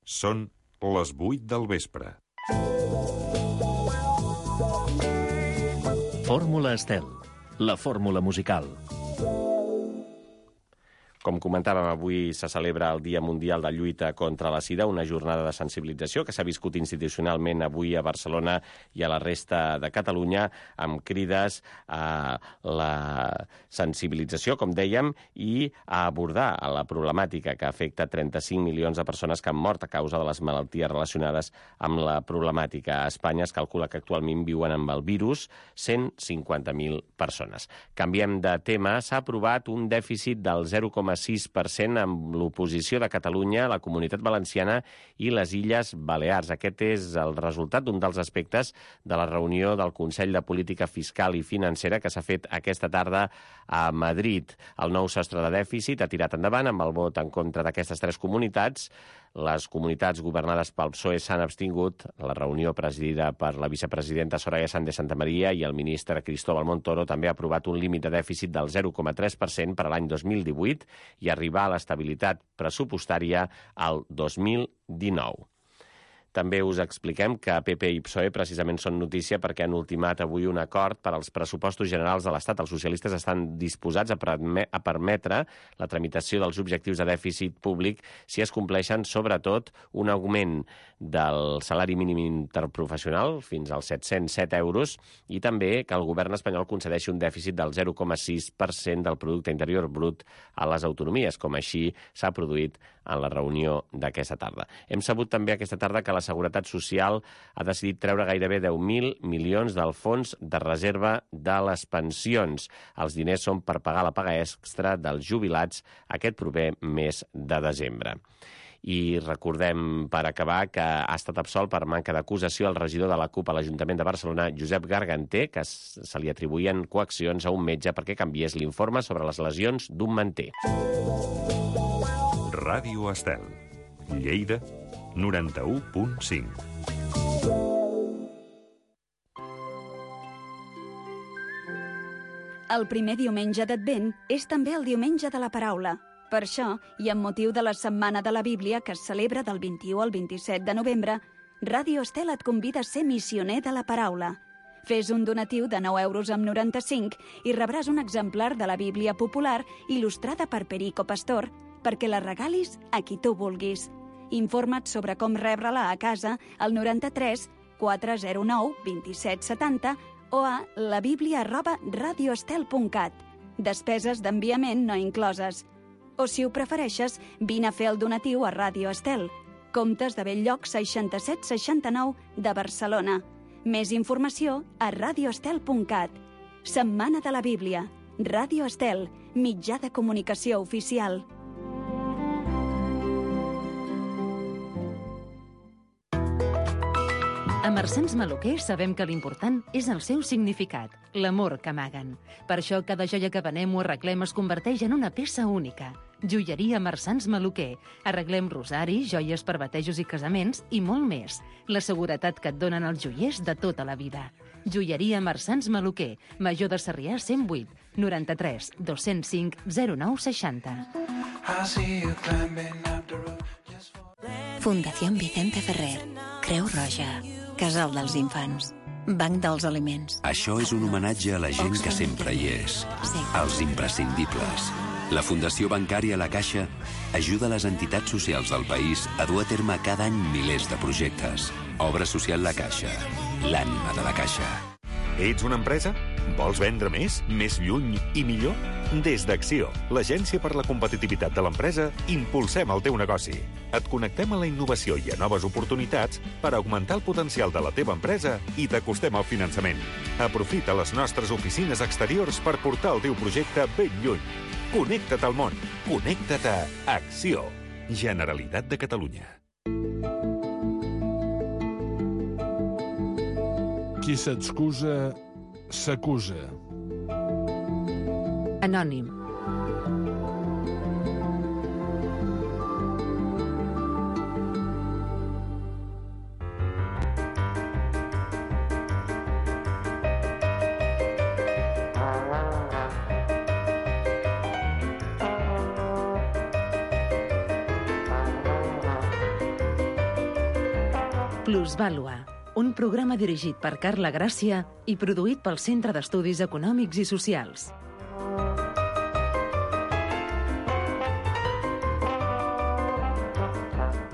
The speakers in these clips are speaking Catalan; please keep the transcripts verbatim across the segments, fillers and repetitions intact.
Són les vuit del vespre. Fórmula Estel, la fórmula musical. Com comentàvem, avui se celebra el Dia Mundial de Lluita contra la Sida, una jornada de sensibilització que s'ha viscut institucionalment avui a Barcelona i a la resta de Catalunya, amb crides a la sensibilització, com dèiem, i a abordar la problemàtica que afecta trenta-cinc milions de persones que han mort a causa de les malalties relacionades amb la problemàtica. A Espanya es calcula que actualment viuen amb el virus cent cinquanta mil persones. Canviem de tema. S'ha aprovat un dèficit del zero coma sis per cent amb l'oposició de Catalunya, la Comunitat Valenciana i les Illes Balears. Aquest és el resultat d'un dels aspectes de la reunió del Consell de Política Fiscal i Financera que s'ha fet aquesta tarda a Madrid. El nou sostre de dèficit ha tirat endavant amb el vot en contra d'aquestes tres comunitats. Les comunitats governades pel P S O E s'han abstingut. La reunió presidida per la vicepresidenta Soraya Sáenz de Santamaría i el ministre Cristóbal Montoro també ha aprovat un límit de dèficit del zero coma tres per cent per a l'any dos mil divuit i arribar a l'estabilitat pressupostària al dos mil dinou. També us expliquem que P P i P S O E precisament són notícia perquè han ultimat avui un acord per als pressupostos generals de l'Estat. Els socialistes estan disposats a, a permetre la tramitació dels objectius de dèficit públic si es compleixen, sobretot, un augment del salari mínim interprofessional fins als set-cents set euros i també que el govern espanyol concedeixi un dèficit del zero coma sis per cent del producte interior brut a les autonomies, com així s'ha produït en la reunió d'aquesta tarda. Hem sabut també aquesta tarda que la Seguretat Social ha decidit treure gairebé deu mil milions del fons de reserva de les pensions. Els diners són per pagar la paga extra dels jubilats aquest proper mes de desembre. I recordem, per acabar, que ha estat absolt per manca d'acusació el regidor de la CUP a l'Ajuntament de Barcelona, Josep Garganter, que se li atribuïen coaccions a un metge perquè canviés l'informe sobre les lesions d'un manter. Ràdio Estel, Lleida, noranta-u punt cinc. El primer diumenge d'Advent és també el diumenge de la paraula. Per això, i amb motiu de la Setmana de la Bíblia, que es celebra del vint-i-u al vint-i-set de novembre, Ràdio Estel et convida a ser missioner de la paraula. Fes un donatiu de nou euros amb noranta-cinc i rebràs un exemplar de la Bíblia popular il·lustrada per Perico Pastor perquè la regalis a qui tu vulguis. Informa't sobre com rebre-la a casa al noranta-tres quatre zero nou vint-i-set setanta o a labiblia arroba radioestel punt cat. Despeses d'enviament no incloses. O, si ho prefereixes, vine a fer el donatiu a Ràdio Estel. Comtes de Belllloc seixanta-set seixanta-nou de Barcelona. Més informació a radioestel punt cat. Setmana de la Bíblia. Ràdio Estel, mitjà de comunicació oficial. A Marsans Maluquer sabem que l'important és el seu significat, l'amor que amaguen. Per això cada joia que venem o arreglem es converteix en una peça única. Joieria Marsans Maluquer. Arreglem rosaris, joies per batejos i casaments i molt més. La seguretat que et donen els joiers de tota la vida. Joieria Marsans Maluquer. Major de Sarrià cent vuit, noranta-tres dos-cents cinc zero nou seixanta. Fundació Vicente Ferrer. Creu Roja. Casal dels Infants. Banc dels Aliments. Això és un homenatge a la gent que sempre hi és. Sí. Els imprescindibles. La Fundació Bancària La Caixa ajuda les entitats socials del país a dur a terme cada any milers de projectes. Obra social La Caixa. L'ànima de la Caixa. Ets una empresa? Vols vendre més, més lluny i millor? Des d'Acció, l'agència per la competitivitat de l'empresa, impulsem el teu negoci. Et connectem a la innovació i a noves oportunitats per augmentar el potencial de la teva empresa i t'acostem al finançament. Aprofita les nostres oficines exteriors per portar el teu projecte ben lluny. Connecta't al món. Connecta't a Acció. Generalitat de Catalunya. Qui s'excusa, s'acusa. Anònim. Plusvàlua, un programa dirigit per Carla Gràcia i produït pel Centre d'Estudis Econòmics i Socials.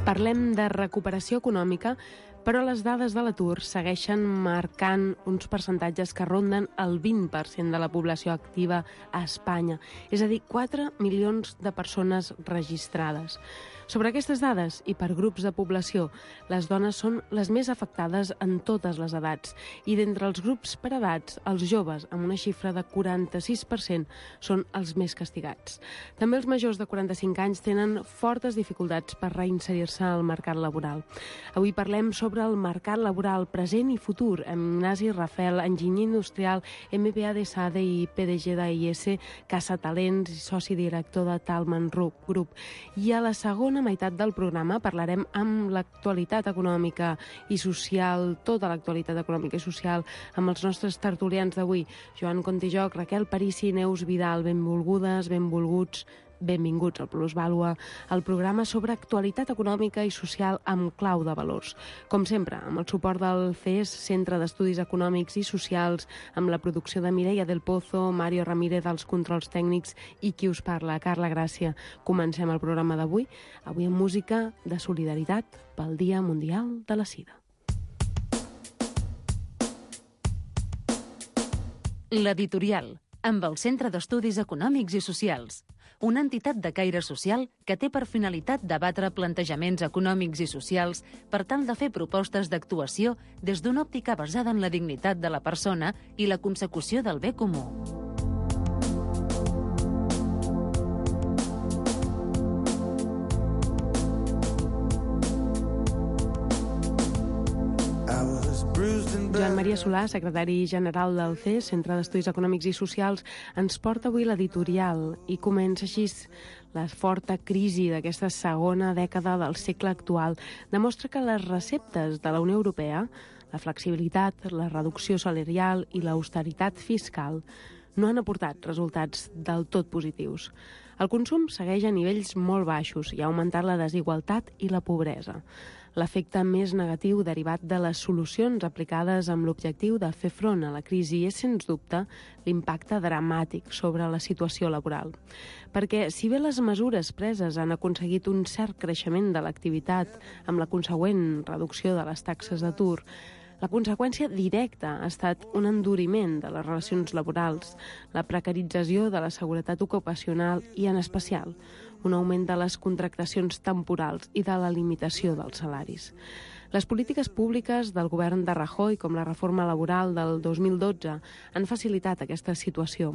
Parlem de recuperació econòmica, però les dades de l'atur segueixen marcant uns percentatges que ronden el vint per cent de la població activa a Espanya, és a dir, quatre milions de persones registrades. Sobre aquestes dades i per grups de població, les dones són les més afectades en totes les edats i d'entre els grups per edats, els joves, amb una xifra de quaranta-sis per cent, són els més castigats. També els majors de quaranta-cinc anys tenen fortes dificultats per reinserir-se al mercat laboral. Avui parlem sobre el mercat laboral present i futur amb Ignasi Rafel, enginyer industrial, M B A de SADE i P D G d'A I S, Casa Talents i soci director de Talman Group. I a la segona meitat del programa parlarem amb l'actualitat econòmica i social, tota l'actualitat econòmica i social, amb els nostres tertulians d'avui, Joan Contijoc, Raquel Parisi i Neus Vidal. Benvolgudes, benvolguts, benvinguts al Plusvàlua, el programa sobre actualitat econòmica i social amb clau de valors. Com sempre, amb el suport del C E S, Centre d'Estudis Econòmics i Socials, amb la producció de Mireia del Pozo, Mario Ramírez als controls tècnics i qui us parla, Carla Gràcia. Comencem el programa d'avui, avui amb música de solidaritat pel Dia Mundial de la Sida. L'editorial, amb el Centre d'Estudis Econòmics i Socials, una entitat de caire social que té per finalitat debatre plantejaments econòmics i socials per tal de fer propostes d'actuació des d'una òptica basada en la dignitat de la persona i la consecució del bé comú. Joan Maria Solà, secretari general del C E S, Centre d'Estudis Econòmics i Socials, ens porta avui l'editorial i comença així. La forta crisi d'aquesta segona dècada del segle actual demostra que les receptes de la Unió Europea, la flexibilitat, la reducció salarial i l'austeritat fiscal, no han aportat resultats del tot positius. El consum segueix a nivells molt baixos i ha augmentat la desigualtat i la pobresa. L'efecte més negatiu derivat de les solucions aplicades amb l'objectiu de fer front a la crisi és, sens dubte, l'impacte dramàtic sobre la situació laboral. Perquè, si bé les mesures preses han aconseguit un cert creixement de l'activitat amb la consegüent reducció de les taxes d'atur, la conseqüència directa ha estat un enduriment de les relacions laborals, la precarització de la seguretat ocupacional i, en especial, un augment de les contractacions temporals i de la limitació dels salaris. Les polítiques públiques del govern de Rajoy, com la reforma laboral del dos mil dotze, han facilitat aquesta situació.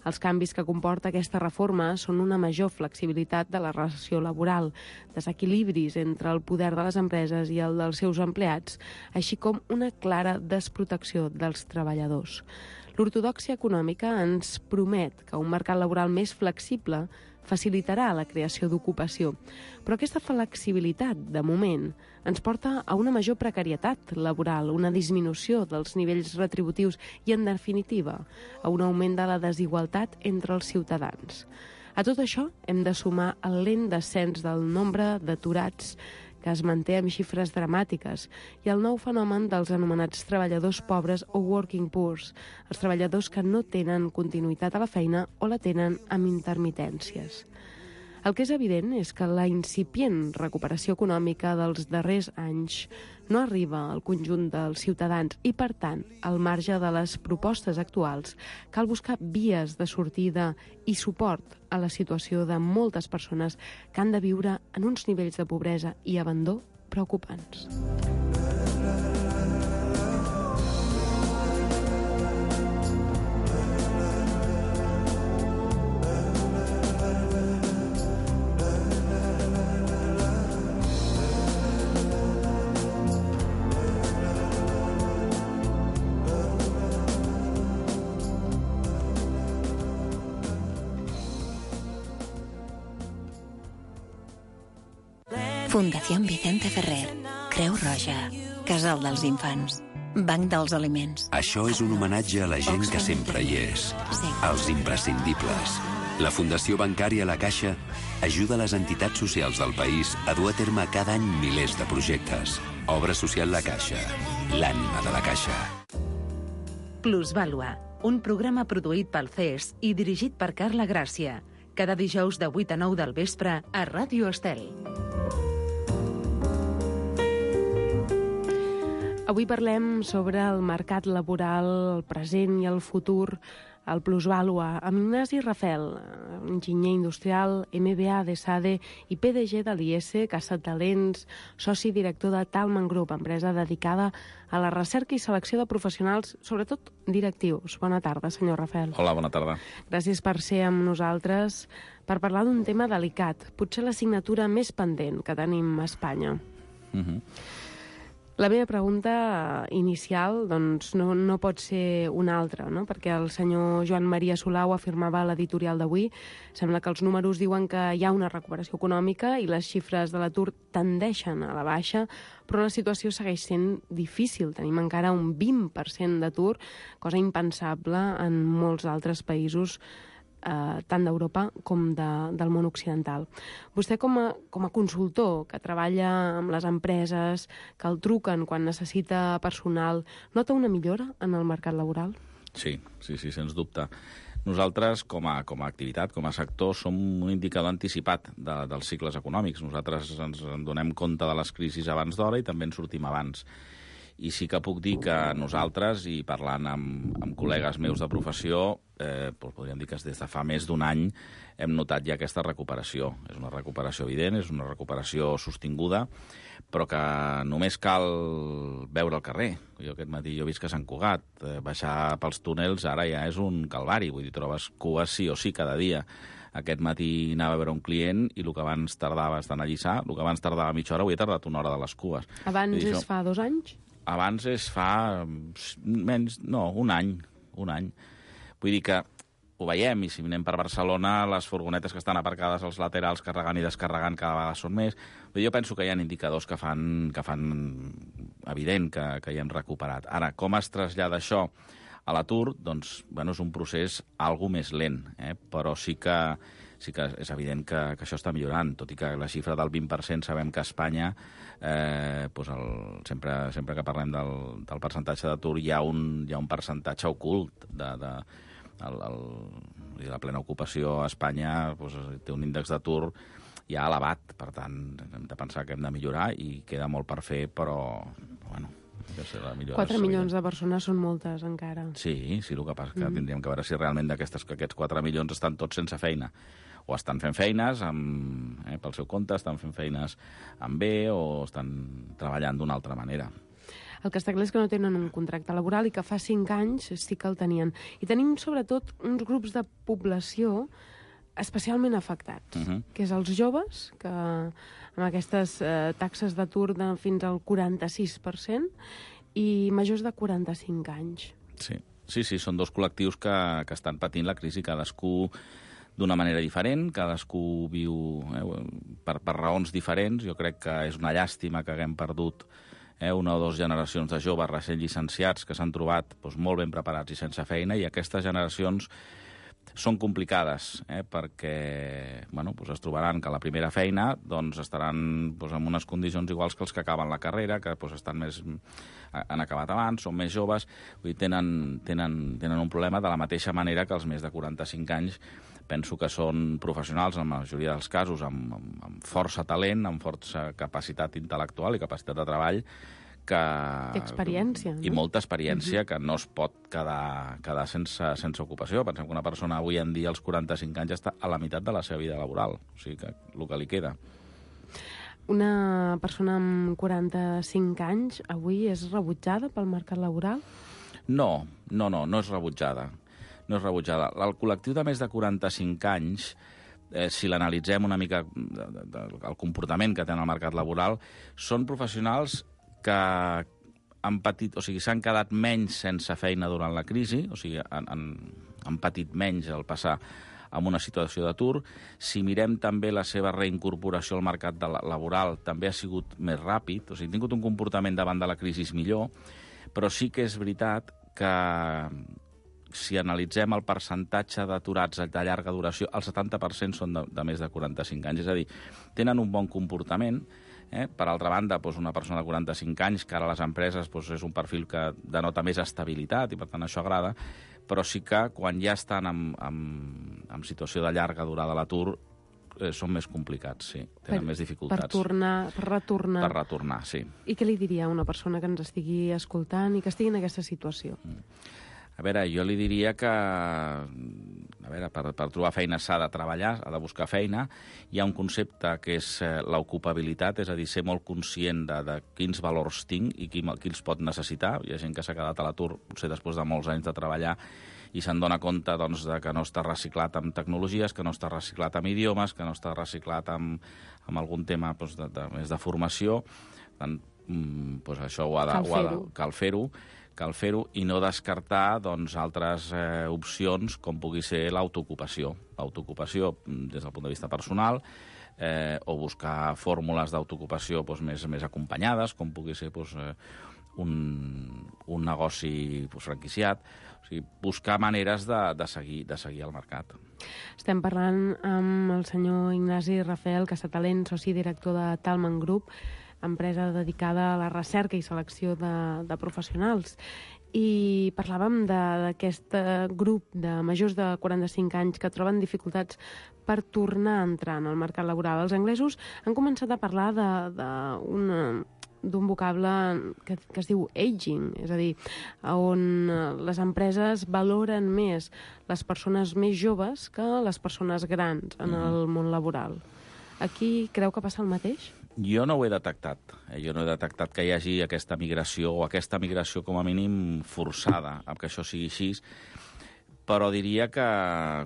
Els canvis que comporta aquesta reforma són una major flexibilitat de la relació laboral, desequilibris entre el poder de les empreses i el dels seus empleats, així com una clara desprotecció dels treballadors. L'ortodòxia econòmica ens promet que un mercat laboral més flexible facilitarà la creació d'ocupació. Però aquesta flexibilitat, de moment, ens porta a una major precarietat laboral, una disminució dels nivells retributius i, en definitiva, a un augment de la desigualtat entre els ciutadans. A tot això hem de sumar el lent descens del nombre d'aturats que es manté amb xifres dramàtiques, i el nou fenomen dels anomenats treballadors pobres o working poors, els treballadors que no tenen continuïtat a la feina o la tenen amb intermitències. El que és evident és que la incipient recuperació econòmica dels darrers anys no arriba al conjunt dels ciutadans i, per tant, al marge de les propostes actuals, cal buscar vies de sortida i suport a la situació de moltes persones que han de viure en uns nivells de pobresa i abandó preocupants. Fundación Vicente Ferrer, Creu Roja, Casal dels Infants, Banc dels Aliments. Això és un homenatge a la gent que sempre hi és, als imprescindibles, La Fundació Bancària La Caixa ajuda les entitats socials del país a dur a terme cada any milers de projectes. Obra social La Caixa, l'ànima de la Caixa. Plusvàlua, un programa produït pel C E S i dirigit per Carla Gràcia. Cada dijous de vuit a nou del vespre a Ràdio Estel. Avui parlem sobre el mercat laboral, el present i el futur, el plusvàlua, amb Ignasi Rafel, enginyer industrial, M B A de SADE i P D G de l'I S, Caçatalents, soci director de Talman Group, empresa dedicada a la recerca i selecció de professionals, sobretot directius. Bona tarda, senyor Rafel. Hola, bona tarda. Gràcies per ser amb nosaltres per parlar d'un tema delicat, potser l'assignatura més pendent que tenim a Espanya. Uh-huh. La meva pregunta inicial doncs, no, no pot ser una altra, no? Perquè el senyor Joan Maria Solà ho afirmava a l'editorial d'avui. Sembla que els números diuen que hi ha una recuperació econòmica i les xifres de l'atur tendeixen a la baixa, però la situació segueix sent difícil. Tenim encara un vint per cent d'atur, cosa impensable en molts altres països, Eh, tant d'Europa com de, del món occidental. Vostè com a, com a consultor que treballa amb les empreses, que el truquen quan necessita personal, nota una millora en el mercat laboral? Sí, sí, sí, sens dubte. Nosaltres, com a, com a activitat, com a sector, som un indicador anticipat de, dels cicles econòmics. Nosaltres ens en donem compte de les crisis abans d'hora i també en sortim abans. I sí que puc dir que nosaltres, i parlant amb, amb col·legues meus de professió, eh, podríem dir que des de fa més d'un any hem notat ja aquesta recuperació. És una recuperació evident, és una recuperació sostinguda, però que només cal veure el carrer. Jo aquest matí jo he vist que Sant Cugat, eh, baixar pels túnels ara ja és un calvari, vull dir, trobes cues sí o sí cada dia. Aquest matí anava a veure un client i el que abans tardava estant a Lliçà, el que abans tardava mitja hora, avui he tardat una hora de les cues. Abans dir, és això... fa dos anys? Abans és fa menys, no, un any, un any. Vull dir que ho veiem, i si anem per Barcelona, les furgonetes que estan aparcades als laterals carregant i descarregant cada vegada són més. Vull dir, jo penso que hi ha indicadors que fan, que fan evident que, que hi hem recuperat. Ara, com es trasllada això a l'atur? Doncs, bueno, és un procés algo més lent, eh? Però sí que, sí que és evident que, que això està millorant, tot i que la xifra del vint per cent sabem que a Espanya, eh, doncs el, sempre, sempre que parlem del, del percentatge d'atur, hi ha un, hi ha un percentatge ocult de... de el, el, la plena ocupació a Espanya doncs, té un índex d'atur ja elevat, per tant, hem de pensar que hem de millorar i queda molt per fer, però, bueno... quatre milions de persones són moltes, encara. Sí, sí, el que passa és que mm. tindríem que veure si realment d'aquestes que aquests quatre milions estan tots sense feina. O estan fent feines amb, eh, pel seu compte, estan fent feines amb B o estan treballant d'una altra manera. El que està clar és que no tenen un contracte laboral i que fa cinc anys sí que el tenien. I tenim, sobretot, uns grups de població especialment afectats, uh-huh. que és els joves, que amb aquestes eh, taxes d'atur de fins al quaranta-sis per cent, i majors de quaranta-cinc anys. Sí, sí, sí, són dos col·lectius que, que estan patint la crisi, cadascú d'una manera diferent, cadascú viu eh, per, per raons diferents. Jo crec que és una llàstima que haguem perdut eh, una o dues generacions de joves recent llicenciats que s'han trobat doncs, molt ben preparats i sense feina, i aquestes generacions són complicades, eh, perquè bueno, doncs es trobaran que a la primera feina doncs, estaran doncs, en unes condicions iguals que els que acaben la carrera, que doncs, estan més, han acabat abans, són més joves, vull dir, tenen, tenen, tenen un problema de la mateixa manera que els més de quaranta-cinc anys penso que són professionals, en la majoria dels casos, amb, amb, amb força talent, amb força capacitat intel·lectual i capacitat de treball, que... Experiència. I molta experiència, uh-huh. que no es pot quedar, quedar sense, sense ocupació. Pensem que una persona avui en dia, als quaranta-cinc anys, està a la meitat de la seva vida laboral. O sigui que el que li queda. Una persona amb quaranta-cinc anys avui és rebutjada pel mercat laboral? No, no, no, no és rebutjada. No és rebutjada. El col·lectiu de més de quaranta-cinc anys, eh, si l'analitzem una mica el comportament que tenen al mercat laboral, són professionals que han patit, o sigui, s'han quedat menys sense feina durant la crisi, o sigui, han, han, han patit menys al passar en una situació d'atur. Si mirem també la seva reincorporació al mercat de la, laboral, també ha sigut més ràpid, o sigui, han tingut un comportament davant de la crisi millor, però sí que és veritat que si analitzem el percentatge d'aturats de llarga duració, el setanta per cent són de, de més de quaranta-cinc anys. És a dir, tenen un bon comportament. Eh? Per altra banda, doncs una persona de quaranta-cinc anys, que ara a les empreses doncs és un perfil que denota més estabilitat i, per tant, això agrada, però sí que quan ja estan en, en, en situació de llarga durada a l'atur, eh, són més complicats, sí. Tenen per, més dificultats. Per tornar, per retornar. Per retornar, sí. I què li diria a una persona que ens estigui escoltant i que estigui en aquesta situació? Mm. A veure, jo li diria que a veure, per, per trobar feina s'ha de treballar, ha de buscar feina. Hi ha un concepte que és eh, l'ocupabilitat, és a dir, ser molt conscient de, de quins valors tinc i qui, qui els pot necessitar. Hi ha gent que s'ha quedat a l'atur, potser després de molts anys de treballar, i se'n dona compte doncs, de que no està reciclat amb tecnologies, que no està reciclat amb idiomes, que no està reciclat amb, amb algun tema doncs, de, de, més de formació. Tant, doncs això ho ha de, cal fer-ho. Cal fer-ho. Cal fer-ho i no descartar doncs, altres eh, opcions com pugui ser l'autoocupació. L'autoocupació des del punt de vista personal, eh, o buscar fórmules d'autoocupació doncs, més, més acompanyades, com pugui ser doncs, eh, un, un negoci doncs, franquiciat. O sigui, buscar maneres de, de, seguir, de seguir al mercat. Estem parlant amb el senyor Ignasi Rafael Casatalent, soci director de Talman Group, empresa dedicada a la recerca i selecció de, de professionals. I parlàvem d'aquest grup de majors de quaranta-cinc anys que troben dificultats per tornar a entrar en el mercat laboral. Els anglesos han començat a parlar de, de una, d'un vocable que, que es diu aging, és a dir, on les empreses valoren més les persones més joves que les persones grans en el món laboral. Aquí creu que passa el mateix? Jo no ho he detectat. Eh? Jo no he detectat que hi hagi aquesta migració, o aquesta migració com a mínim forçada, amb que això sigui així, però diria que,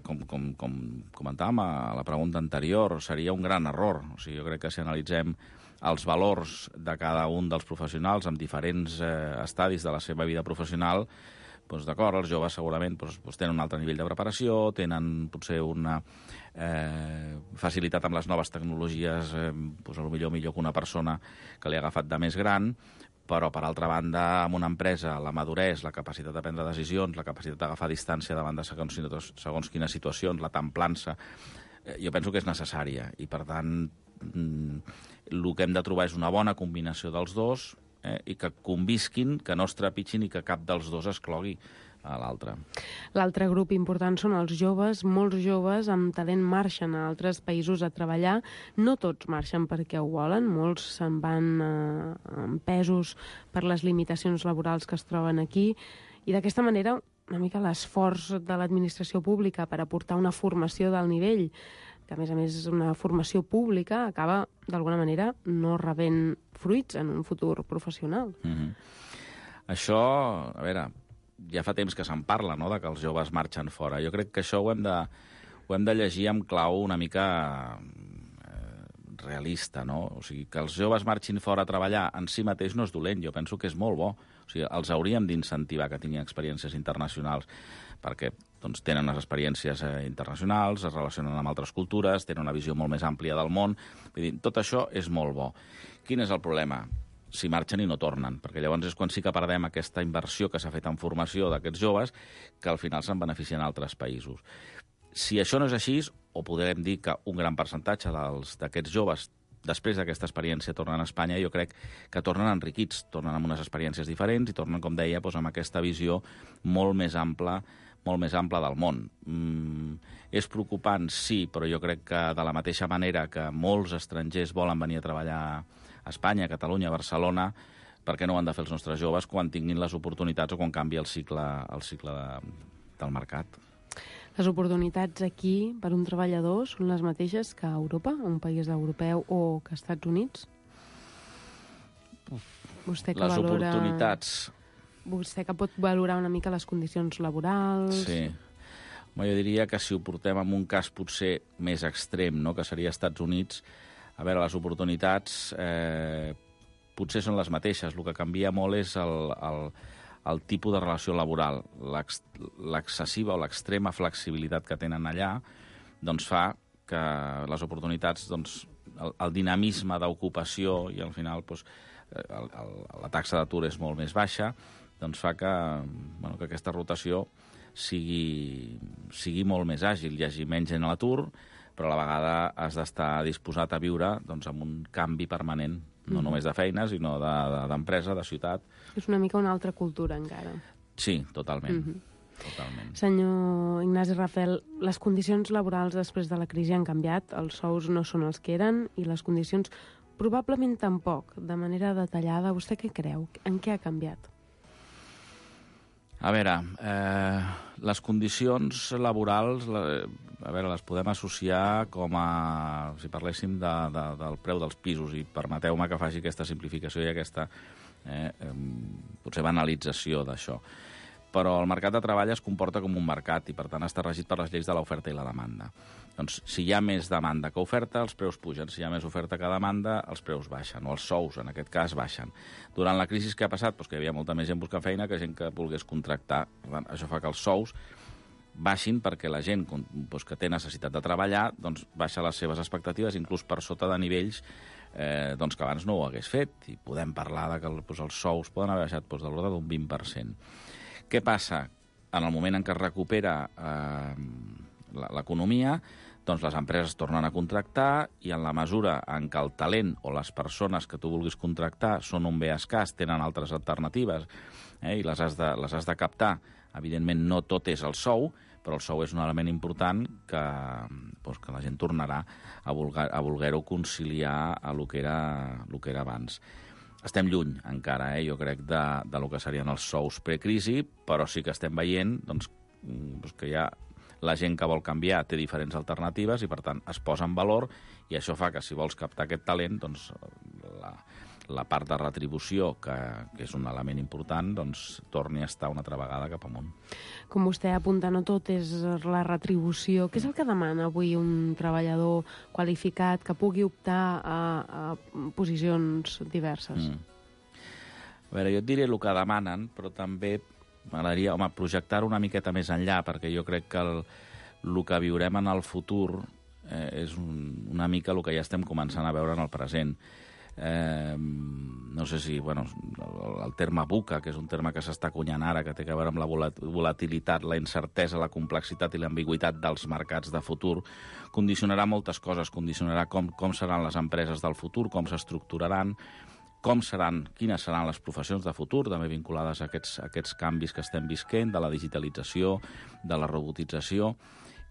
com, com, com comentàvem a la pregunta anterior, seria un gran error. O sigui, jo crec que si analitzem els valors de cada un dels professionals en diferents eh, estadis de la seva vida professional, doncs d'acord, els joves segurament doncs, doncs tenen un altre nivell de preparació, tenen potser una eh, facilitat amb les noves tecnologies, eh, doncs, potser millor que una persona que li ha agafat de més gran, però, per altra banda, en una empresa, la maduresa, la capacitat de prendre decisions, la capacitat d'agafar distància davant de segons, segons quines situacions, la templança, eh, jo penso que és necessària. I, per tant, mm, el que hem de trobar és una bona combinació dels dos, Eh, i que convisquin, que no es trepitgin i que cap dels dos exclogui a l'altre. L'altre grup important són els joves. Molts joves amb talent marxen a altres països a treballar. No tots marxen perquè ho volen, molts se'n van eh, empesos per les limitacions laborals que es troben aquí. I d'aquesta manera, una mica l'esforç de l'administració pública per aportar una formació d'alt nivell, que a més a més és una formació pública, acaba d'alguna manera no rebent fruits en un futur professional. Mm-hmm. Això, a veure, ja fa temps que se'n parla, no?, de que els joves marxen fora. Jo crec que això ho hem de, ho hem de llegir amb clau una mica eh, realista, no? O sigui, que els joves marxin fora a treballar en si mateix no és dolent, jo penso que és molt bo. O sigui, els hauríem d'incentivar que tinguin experiències internacionals, perquè doncs, tenen les experiències eh, internacionals, es relacionen amb altres cultures, tenen una visió molt més àmplia del món. Vull dir, tot això és molt bo. Quin és el problema? Si marxen i no tornen, perquè llavors és quan sí que perdem aquesta inversió que s'ha fet en formació d'aquests joves, que al final se'n beneficien altres països. Si això no és així, o podrem dir que un gran percentatge d'aquests joves després d'aquesta experiència tornen a Espanya, jo crec que tornen enriquits, tornen amb unes experiències diferents i tornen, com deia, doncs, amb aquesta visió molt més ampla molt més ampla del món. Mm, és preocupant, sí, però jo crec que de la mateixa manera que molts estrangers volen venir a treballar a Espanya, a Catalunya, a Barcelona, per què no ho han de fer els nostres joves quan tinguin les oportunitats o quan canvi el cicle, el cicle de, del mercat? Les oportunitats aquí per un treballador són les mateixes que a Europa, un país europeu o que als Estats Units? Vostè que les valora... oportunitats... Vostè que pot valorar una mica les condicions laborals... Sí. Jo diria que si ho portem en un cas potser més extrem, no?, que seria Estats Units, a veure, les oportunitats eh, potser són les mateixes. El que canvia molt és el, el, el tipus de relació laboral. L'excessiva o l'extrema flexibilitat que tenen allà doncs fa que les oportunitats, doncs, el, el dinamisme d'ocupació i al final doncs, el, el, la taxa d'atur és molt més baixa, doncs fa que, bueno, que aquesta rotació sigui, sigui molt més àgil, hi hagi menys gent a l'atur, però a la vegada has d'estar disposat a viure doncs, amb un canvi permanent, no mm-hmm. només de feina, sinó d'empresa, de, de, de ciutat. És una mica una altra cultura, encara. Sí, totalment. Mm-hmm. Totalment. Senyor Ignasi Rafel, les condicions laborals després de la crisi han canviat, els sous no són els que eren i les condicions probablement tampoc. De manera detallada, vostè què creu? En què ha canviat? A veure, eh, les condicions laborals, a veure, les podem associar com a, si parléssim de, de, del preu dels pisos, i permeteu-me que faci aquesta simplificació i aquesta eh, eh, potser banalització d'això. Però el mercat de treball es comporta com un mercat i, per tant, està regit per les lleis de l'oferta i la demanda. Doncs, si hi ha més demanda que oferta, els preus pugen. Si hi ha més oferta que demanda, els preus baixen, o els sous, en aquest cas, baixen. Durant la crisi que ha passat, doncs, que hi havia molta més gent buscant feina que gent que volgués contractar. Per tant, això fa que els sous baixin perquè la gent doncs, que té necessitat de treballar doncs, baixa les seves expectatives, inclús per sota de nivells eh, doncs, que abans no ho hagués fet. I podem parlar de que doncs, els sous poden haver baixat doncs, de l'ordre d'un vint per cent. Què passa? En el moment en què es recupera eh, l'economia, doncs les empreses tornen a contractar i en la mesura en què el talent o les persones que tu vulguis contractar són un bé escàs, tenen altres alternatives eh, i les has, de, les has de captar. Evidentment, no tot és el sou, però el sou és un element important que, doncs, que la gent tornarà a voler-ho voler conciliar a lo que era, lo que era abans. Estem lluny encara, eh, jo crec, de, de lo que serien els sous precrisi, però sí que estem veient doncs, doncs que hi ha la gent que vol canviar té diferents alternatives i, per tant, es posa en valor i això fa que, si vols captar aquest talent, doncs, la, la part de retribució, que, que és un element important, doncs, torni a estar una altra vegada cap amunt. Com vostè apunta, no tot és la retribució. Què és el que demana avui un treballador qualificat que pugui optar a, a posicions diverses? Mm. A veure, jo et diré el que demanen, però també m'agradaria, home, projectar una miqueta més enllà, perquè jo crec que el, el que viurem en el futur eh, és un, una mica el que ja estem començant a veure en el present. Eh, no sé si, bueno, el, el terme VUCA, que és un terme que s'està acunyant ara, que té a veure amb la volatilitat, la incertesa, la complexitat i l'ambigüitat dels mercats de futur, condicionarà moltes coses, condicionarà com, com seran les empreses del futur, com s'estructuraran, com seran, quines seran les professions de futur, també vinculades a aquests, a aquests canvis que estem visquent, de la digitalització, de la robotització,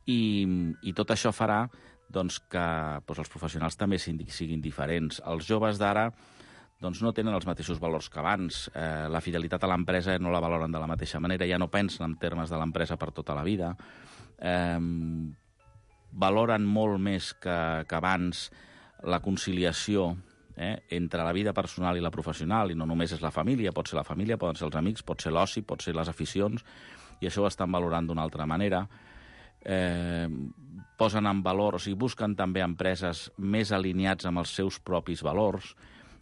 i, i tot això farà doncs, que doncs, els professionals també siguin diferents. Els joves d'ara doncs, no tenen els mateixos valors que abans. Eh, la fidelitat a l'empresa no la valoren de la mateixa manera, ja no pensen en termes de l'empresa per tota la vida. Eh, valoren molt més que, que abans la conciliació eh, entre la vida personal i la professional, i no només és la família, pot ser la família, poden ser els amics, pot ser l'oci, pot ser les aficions, i això ho estan valorant d'una altra manera. Eh, posen en valor, o sigui, busquen també empreses més alineats amb els seus propis valors.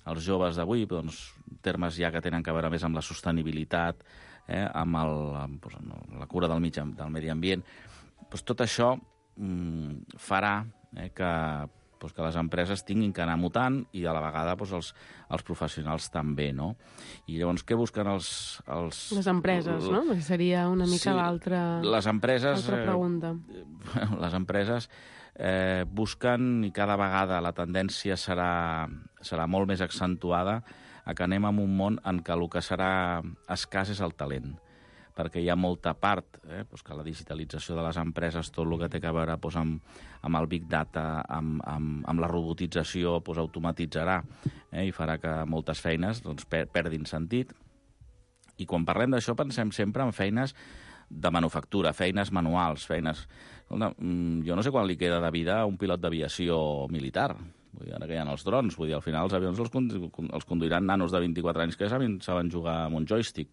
Els joves d'avui, doncs, termes ja que tenen a veure més amb la sostenibilitat, eh, amb, el, amb, doncs, amb la cura del, mig, del medi ambient. Doncs tot això mm, farà eh, que, doncs, que les empreses tinguin que anar mutant i a la vegada doncs, els, els professionals també, no? I llavors què busquen els... els les empreses, no? Perquè seria una mica sí, l'altra les empreses, pregunta. Eh, les empreses eh, busquen, i cada vegada la tendència serà, serà molt més accentuada, a que anem en un món en què el que serà escàs és el talent, perquè hi ha molta part, eh, doncs que la digitalització de les empreses, tot el que té a veure doncs, amb, amb el Big Data, amb, amb, amb la robotització, doncs, automatitzarà eh, i farà que moltes feines doncs, per, perdin sentit. I quan parlem d'això pensem sempre en feines de manufactura, feines manuals, feines... Escolta, jo no sé quan li queda de vida a un pilot d'aviació militar. Vull dir, ara que hi ha els drons, vull dir, al final els avions els, els conduiran nanos de vint-i-quatre anys que saben, saben jugar amb un joystick,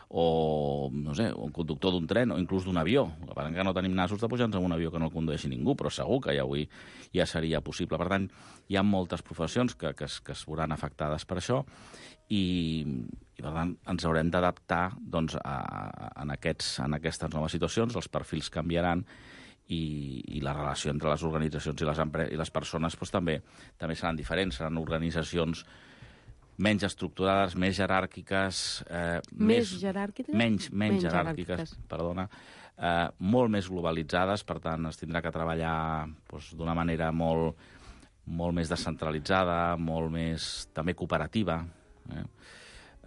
o, no sé, un conductor d'un tren, o inclús d'un avió. El que passa que no tenim nassos de pujar-nos en un avió que no el condueixi ningú, però segur que ja avui ja seria possible. Per tant, hi ha moltes professions que, que, es, que es veuran afectades per això, i, i per tant, ens haurem d'adaptar doncs, a, a, en, aquests, en aquestes noves situacions, els perfils canviaran, i, i la relació entre les organitzacions i les, i les persones doncs, també, també seran diferents, seran organitzacions menys estructurades, més jeràrquiques... Eh, més, més jeràrquiques? Menys, menys, menys jeràrquiques, jeràrquiques, perdona. eh, molt més globalitzades, per tant, es tindrà que treballar doncs, d'una manera molt, molt més descentralitzada, molt més també cooperativa. Eh?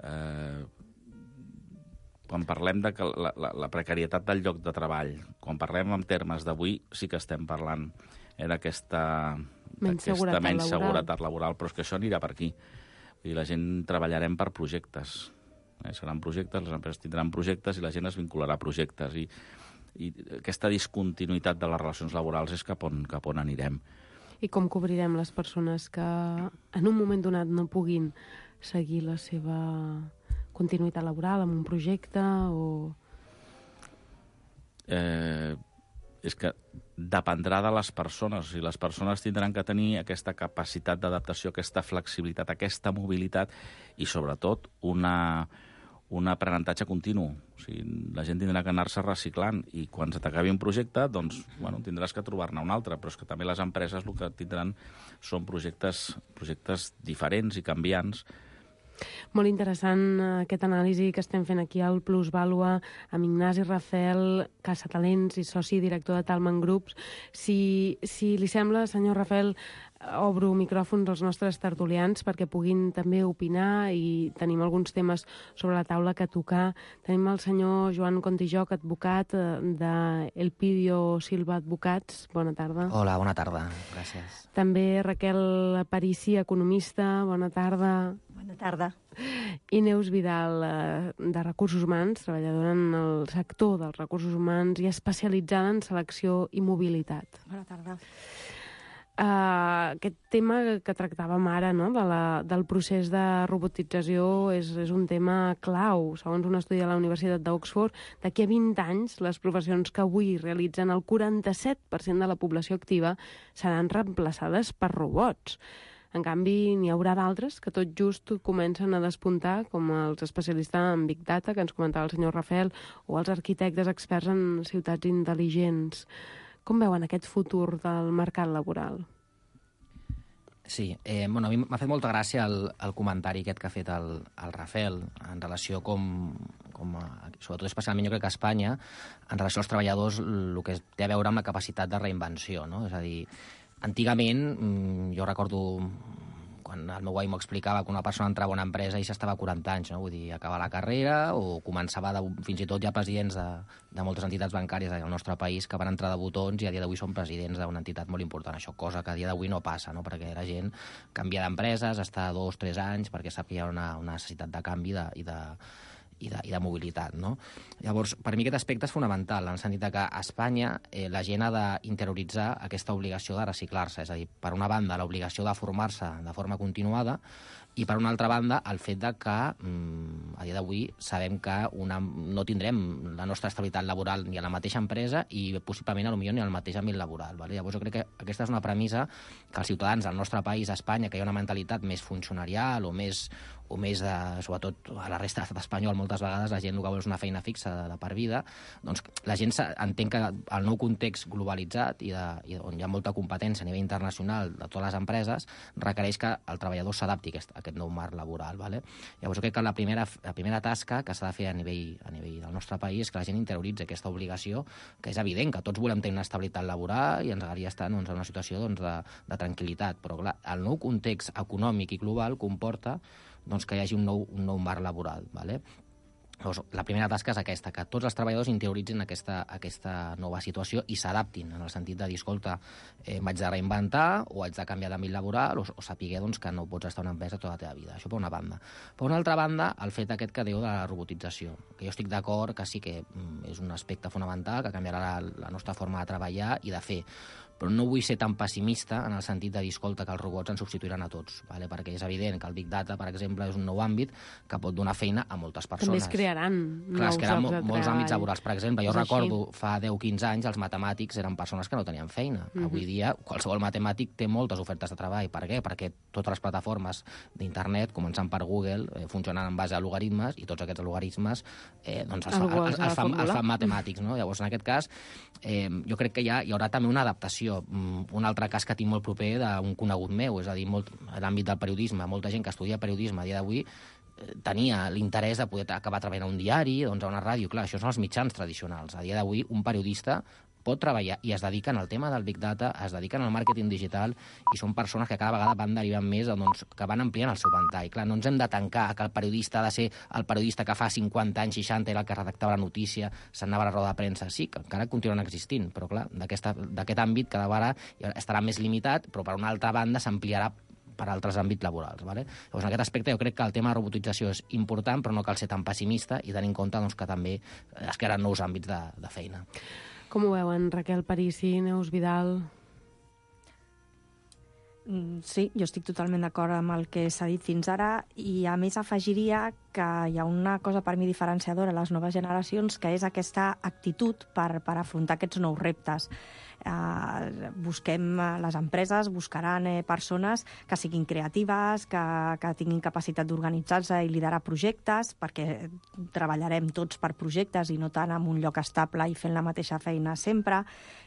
Eh, quan parlem de que la, la, la precarietat del lloc de treball, quan parlem en termes d'avui, sí que estem parlant eh, d'aquesta menys seguretat, menys seguretat laboral, però és que això anirà per aquí. I la gent treballarem per projectes. Eh? Seran projectes, les empreses tindran projectes i la gent es vincularà a projectes. I, i aquesta discontinuïtat de les relacions laborals és cap on, cap on anirem. I com cobrirem les persones que en un moment donat no puguin seguir la seva continuïtat laboral amb un projecte o... Eh, és que dependrà de les persones. O sigui, les persones tindran que tenir aquesta capacitat d'adaptació, aquesta flexibilitat, aquesta mobilitat i, sobretot, una, un aprenentatge continu. O sigui, la gent tindrà que anar-se reciclant i quan se t'acabi un projecte, doncs, bueno, tindràs que trobar-ne un altre, però és que també les empreses el que tindran són projectes, projectes diferents i canviants. Molt interessant aquest anàlisi que estem fent aquí al Plusvàlua amb Ignasi Rafel, caçatalents i soci director de Talman Groups. Si, si li sembla, senyor Rafel, obro micròfons als nostres tertulians perquè puguin també opinar i tenim alguns temes sobre la taula que tocar. Tenim el senyor Joan Contijoc, advocat de Elpidio Silva Advocats. Bona tarda. Hola, bona tarda. Gràcies. També Raquel Aparici, economista. Bona tarda. Bona tarda. I Neus Vidal, de Recursos Humans, treballadora en el sector dels recursos humans i especialitzada en selecció i mobilitat. Bona tarda. Uh, aquest tema que tractàvem ara, no? de la, del procés de robotització, és, és un tema clau. Segons un estudi de la Universitat d'Oxford, d'aquí a vint anys, les professions que avui realitzen el quaranta-set per cent de la població activa seran reemplaçades per robots. En canvi, n'hi haurà d'altres que tot just comencen a despuntar, com els especialistes en Big Data, que ens comentava el senyor Rafel, o els arquitectes experts en ciutats intel·ligents. Com veuen aquest futur del mercat laboral? Sí, eh, bueno, a mi m'ha fet molta gràcia el, el comentari aquest que ha fet el, el Rafel en relació com, com a, sobretot especialment jo crec que a Espanya, en relació als treballadors, el que té a veure amb la capacitat de reinvenció, no? És a dir, antigament, jo recordo quan el meu avi m'ho explicava que una persona entrava a una empresa i s'estava a quaranta anys, no? Vull dir, acabava la carrera o començava de, fins i tot ja presidents de, de moltes entitats bancàries del nostre país que van entrar de botons i a dia d'avui són presidents d'una entitat molt important. Això, cosa que a dia d'avui no passa, no? Perquè la gent canvia d'empreses, està dos, tres anys perquè sap que hi ha una, una necessitat de canvi de, i de I de, i de mobilitat, no? Llavors, per mi aquest aspecte és fonamental, en el sentit que a Espanya eh, la gent ha d'interioritzar aquesta obligació de reciclar-se, és a dir, per una banda, l'obligació de formar-se de forma continuada i, per una altra banda, el fet de que mm, a dia d'avui sabem que una, no tindrem la nostra estabilitat laboral ni a la mateixa empresa i possiblement potser ni al mateix àmbit laboral. Vale? Llavors jo crec que aquesta és una premissa que els ciutadans del nostre país, a Espanya, que hi ha una mentalitat més funcionarial o més, o més de, sobretot a la resta de l'estat espanyol, moltes vegades la gent el que vol és una feina fixa de, de per vida, doncs la gent entén que el nou context globalitzat i, de, i on hi ha molta competència a nivell internacional de totes les empreses requereix que el treballador s'adapti a aquest, a aquest nou marc laboral. Vale? Llavors jo crec que la primera, la primera tasca que s'ha de fer a nivell, a nivell del nostre país és que la gent interioritzi aquesta obligació, que és evident que tots volem tenir una estabilitat laboral i ens agradaria estar doncs, en una situació doncs, de, de tranquil·litat, però clar, el nou context econòmic i global comporta doncs, que hi hagi un nou, un nou marc laboral. Vale? Llavors, la primera tasca és aquesta, que tots els treballadors interioritzin aquesta, aquesta nova situació i s'adaptin, en el sentit de dir, escolta, eh, m'haig de reinventar o haig de canviar d'àmbit laboral o, o saber doncs, que no pots estar a una empresa tota la teva vida. Això per una banda. Per una altra banda, el fet aquest que diu de la robotització, que jo estic d'acord que sí que mm, és un aspecte fonamental, que canviarà la, la nostra forma de treballar i de fer, però no vull ser tan pessimista en el sentit de dir, escolta, que els robots ens substituiran a tots, vale? Perquè és evident que el Big Data, per exemple, és un nou àmbit que pot donar feina a moltes persones. També es crearan Clar, nous es crearan llocs de molts treball. àmbits laborals. Per exemple, jo És recordo així. fa deu quinze anys els matemàtics eren persones que no tenien feina. Mhm. Avui dia qualsevol matemàtic té moltes ofertes de treball. Per què? Perquè totes les plataformes d'internet, començant per Google, eh, funcionen en base a logaritmes i tots aquests logaritmes eh, doncs els, fa, Algú els, els ha els, de fan, els formular. fan matemàtics. No? Llavors, en aquest cas, eh, jo crec que hi, ha, hi haurà també una adaptació formació. Un altre cas que tinc molt proper d'un conegut meu, és a dir, molt, a l'àmbit del periodisme, molta gent que estudia periodisme a dia d'avui tenia l'interès de poder acabar treballant a un diari, doncs a una ràdio. Clar, això són els mitjans tradicionals. A dia d'avui, un periodista pot treballar i es dediquen al tema del Big Data, es dediquen al màrqueting digital i són persones que cada vegada van derivant més, doncs, que van ampliant el seu ventall. Clar, no ens hem de tancar que el periodista ha de ser el periodista que fa cinquanta anys, seixanta, era el que redactava la notícia, s'anava a la roda de premsa. Sí, que encara continuen existint, però clar, d'aquest àmbit cada vegada estarà més limitat, però per una altra banda s'ampliarà per altres àmbits laborals. Vale? Llavors, en aquest aspecte jo crec que el tema de robotització és important, però no cal ser tan pessimista i tenir en compte doncs, que també es crearan nous àmbits de, de feina. Com ho veuen, Raquel Parisi, Neus Vidal? Sí, jo estic totalment d'acord amb el que s'ha dit fins ara i a més afegiria que hi ha una cosa per mi diferenciadora a les noves generacions, que és aquesta actitud per, per afrontar aquests nous reptes. Uh, busquem, les empreses buscaran eh, persones que siguin creatives, que, que tinguin capacitat d'organitzar-se i liderar projectes, perquè treballarem tots per projectes i no tant en un lloc estable i fent la mateixa feina sempre,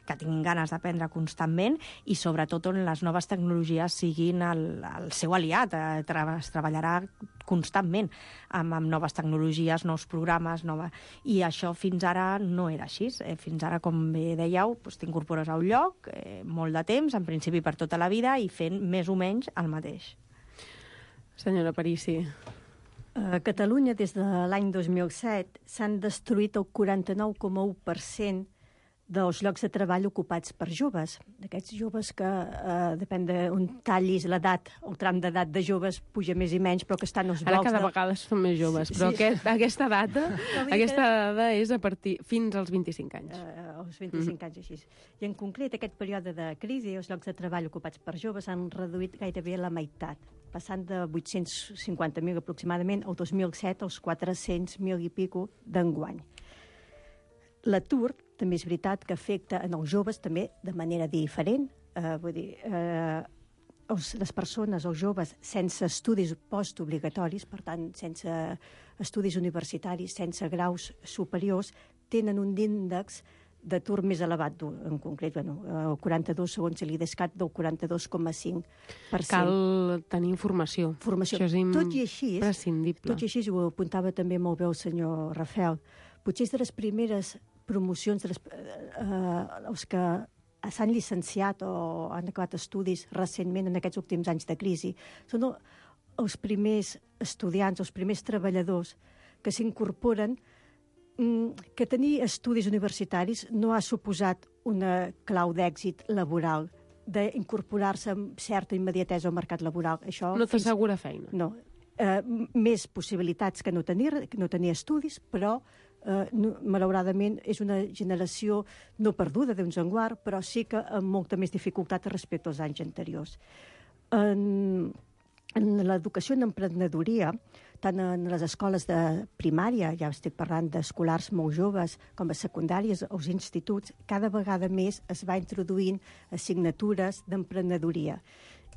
que tinguin ganes d'aprendre constantment i sobretot on les noves tecnologies siguin el, el seu aliat. Eh, tra es treballarà constantment amb, amb noves tecnologies, nous programes, nova... i això fins ara no era així. Eh, fins ara, com bé dèieu, doncs, t'incorpores a un lloc, eh, molt de temps, en principi per tota la vida, i fent més o menys el mateix. Senyora Parisi. A Catalunya, des de l'any dos mil set, s'han destruït el quaranta-nou coma u per cent dels llocs de treball ocupats per joves. D'aquests joves que, eh, depèn d'on tallis l'edat, el tram d'edat de joves puja més i menys, però que estan als blocs... Ara cada de... vegada són més joves, sí, però sí. Aquest, aquesta data aquesta que... dada és a partir fins als vint-i-cinc anys. Uh, als vint-i-cinc mm-hmm. anys, així. I en concret, aquest període de crisi, els llocs de treball ocupats per joves han reduït gairebé la meitat, passant de vuit-cents cinquanta mil aproximadament el dos mil set als quatre-cents mil i pico d'enguany. L'atur també és veritat que afecta en els joves també de manera diferent. Eh, vull dir, eh, els, les persones, els joves, sense estudis postobligatoris, per tant, sense estudis universitaris, sense graus superiors, tenen un índex d'atur més elevat, en concret, bueno, el quaranta-dos, segons l'IDESCAT, del quaranta-dos coma cinc per cent. Cal tenir informació. Formació. Això és tot i així, imprescindible. Tot i així, ho apuntava també molt bé el senyor Rafael, potser és de les primeres promocions, de les, eh, els que s'han llicenciat o han acabat estudis recentment en aquests últims anys de crisi, són els primers estudiants, els primers treballadors que s'incorporen, que tenir estudis universitaris no ha suposat una clau d'èxit laboral, d'incorporar-se amb certa immediatesa al mercat laboral. Això no t'assegura feina. No. Eh, més possibilitats que no tenir, que no tenir estudis, però eh, no, malauradament és una generació no perduda d'un enguart, però sí que amb molta més dificultat respecte als anys anteriors. En, en l'educació en emprenedoria, tant en les escoles de primària, ja estic parlant d'escolars molt joves, com a secundàries, als instituts, cada vegada més es va introduint assignatures d'emprenedoria.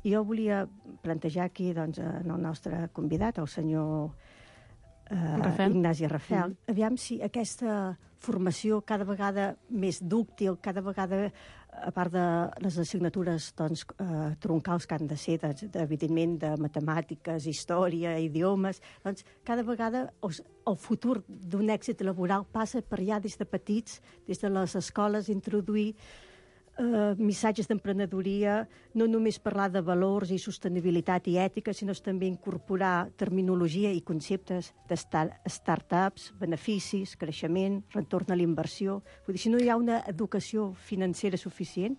I jo volia plantejar aquí, doncs, en el nostre convidat, el senyor eh, Ignasi Rafel, mm. aviam si aquesta formació cada vegada més dúctil, cada vegada, a part de les assignatures doncs, eh, troncals que han de ser, doncs, evidentment, de matemàtiques, història, idiomes, doncs cada vegada els, el futur d'un èxit laboral passa per ja des de petits, des de les escoles, introduir Uh, missatges d'emprenedoria, no només parlar de valors i sostenibilitat i ètica, sinó també incorporar terminologia i conceptes de start-ups, beneficis, creixement, retorn a l'inversió. Vull dir, si no hi ha una educació financera suficient,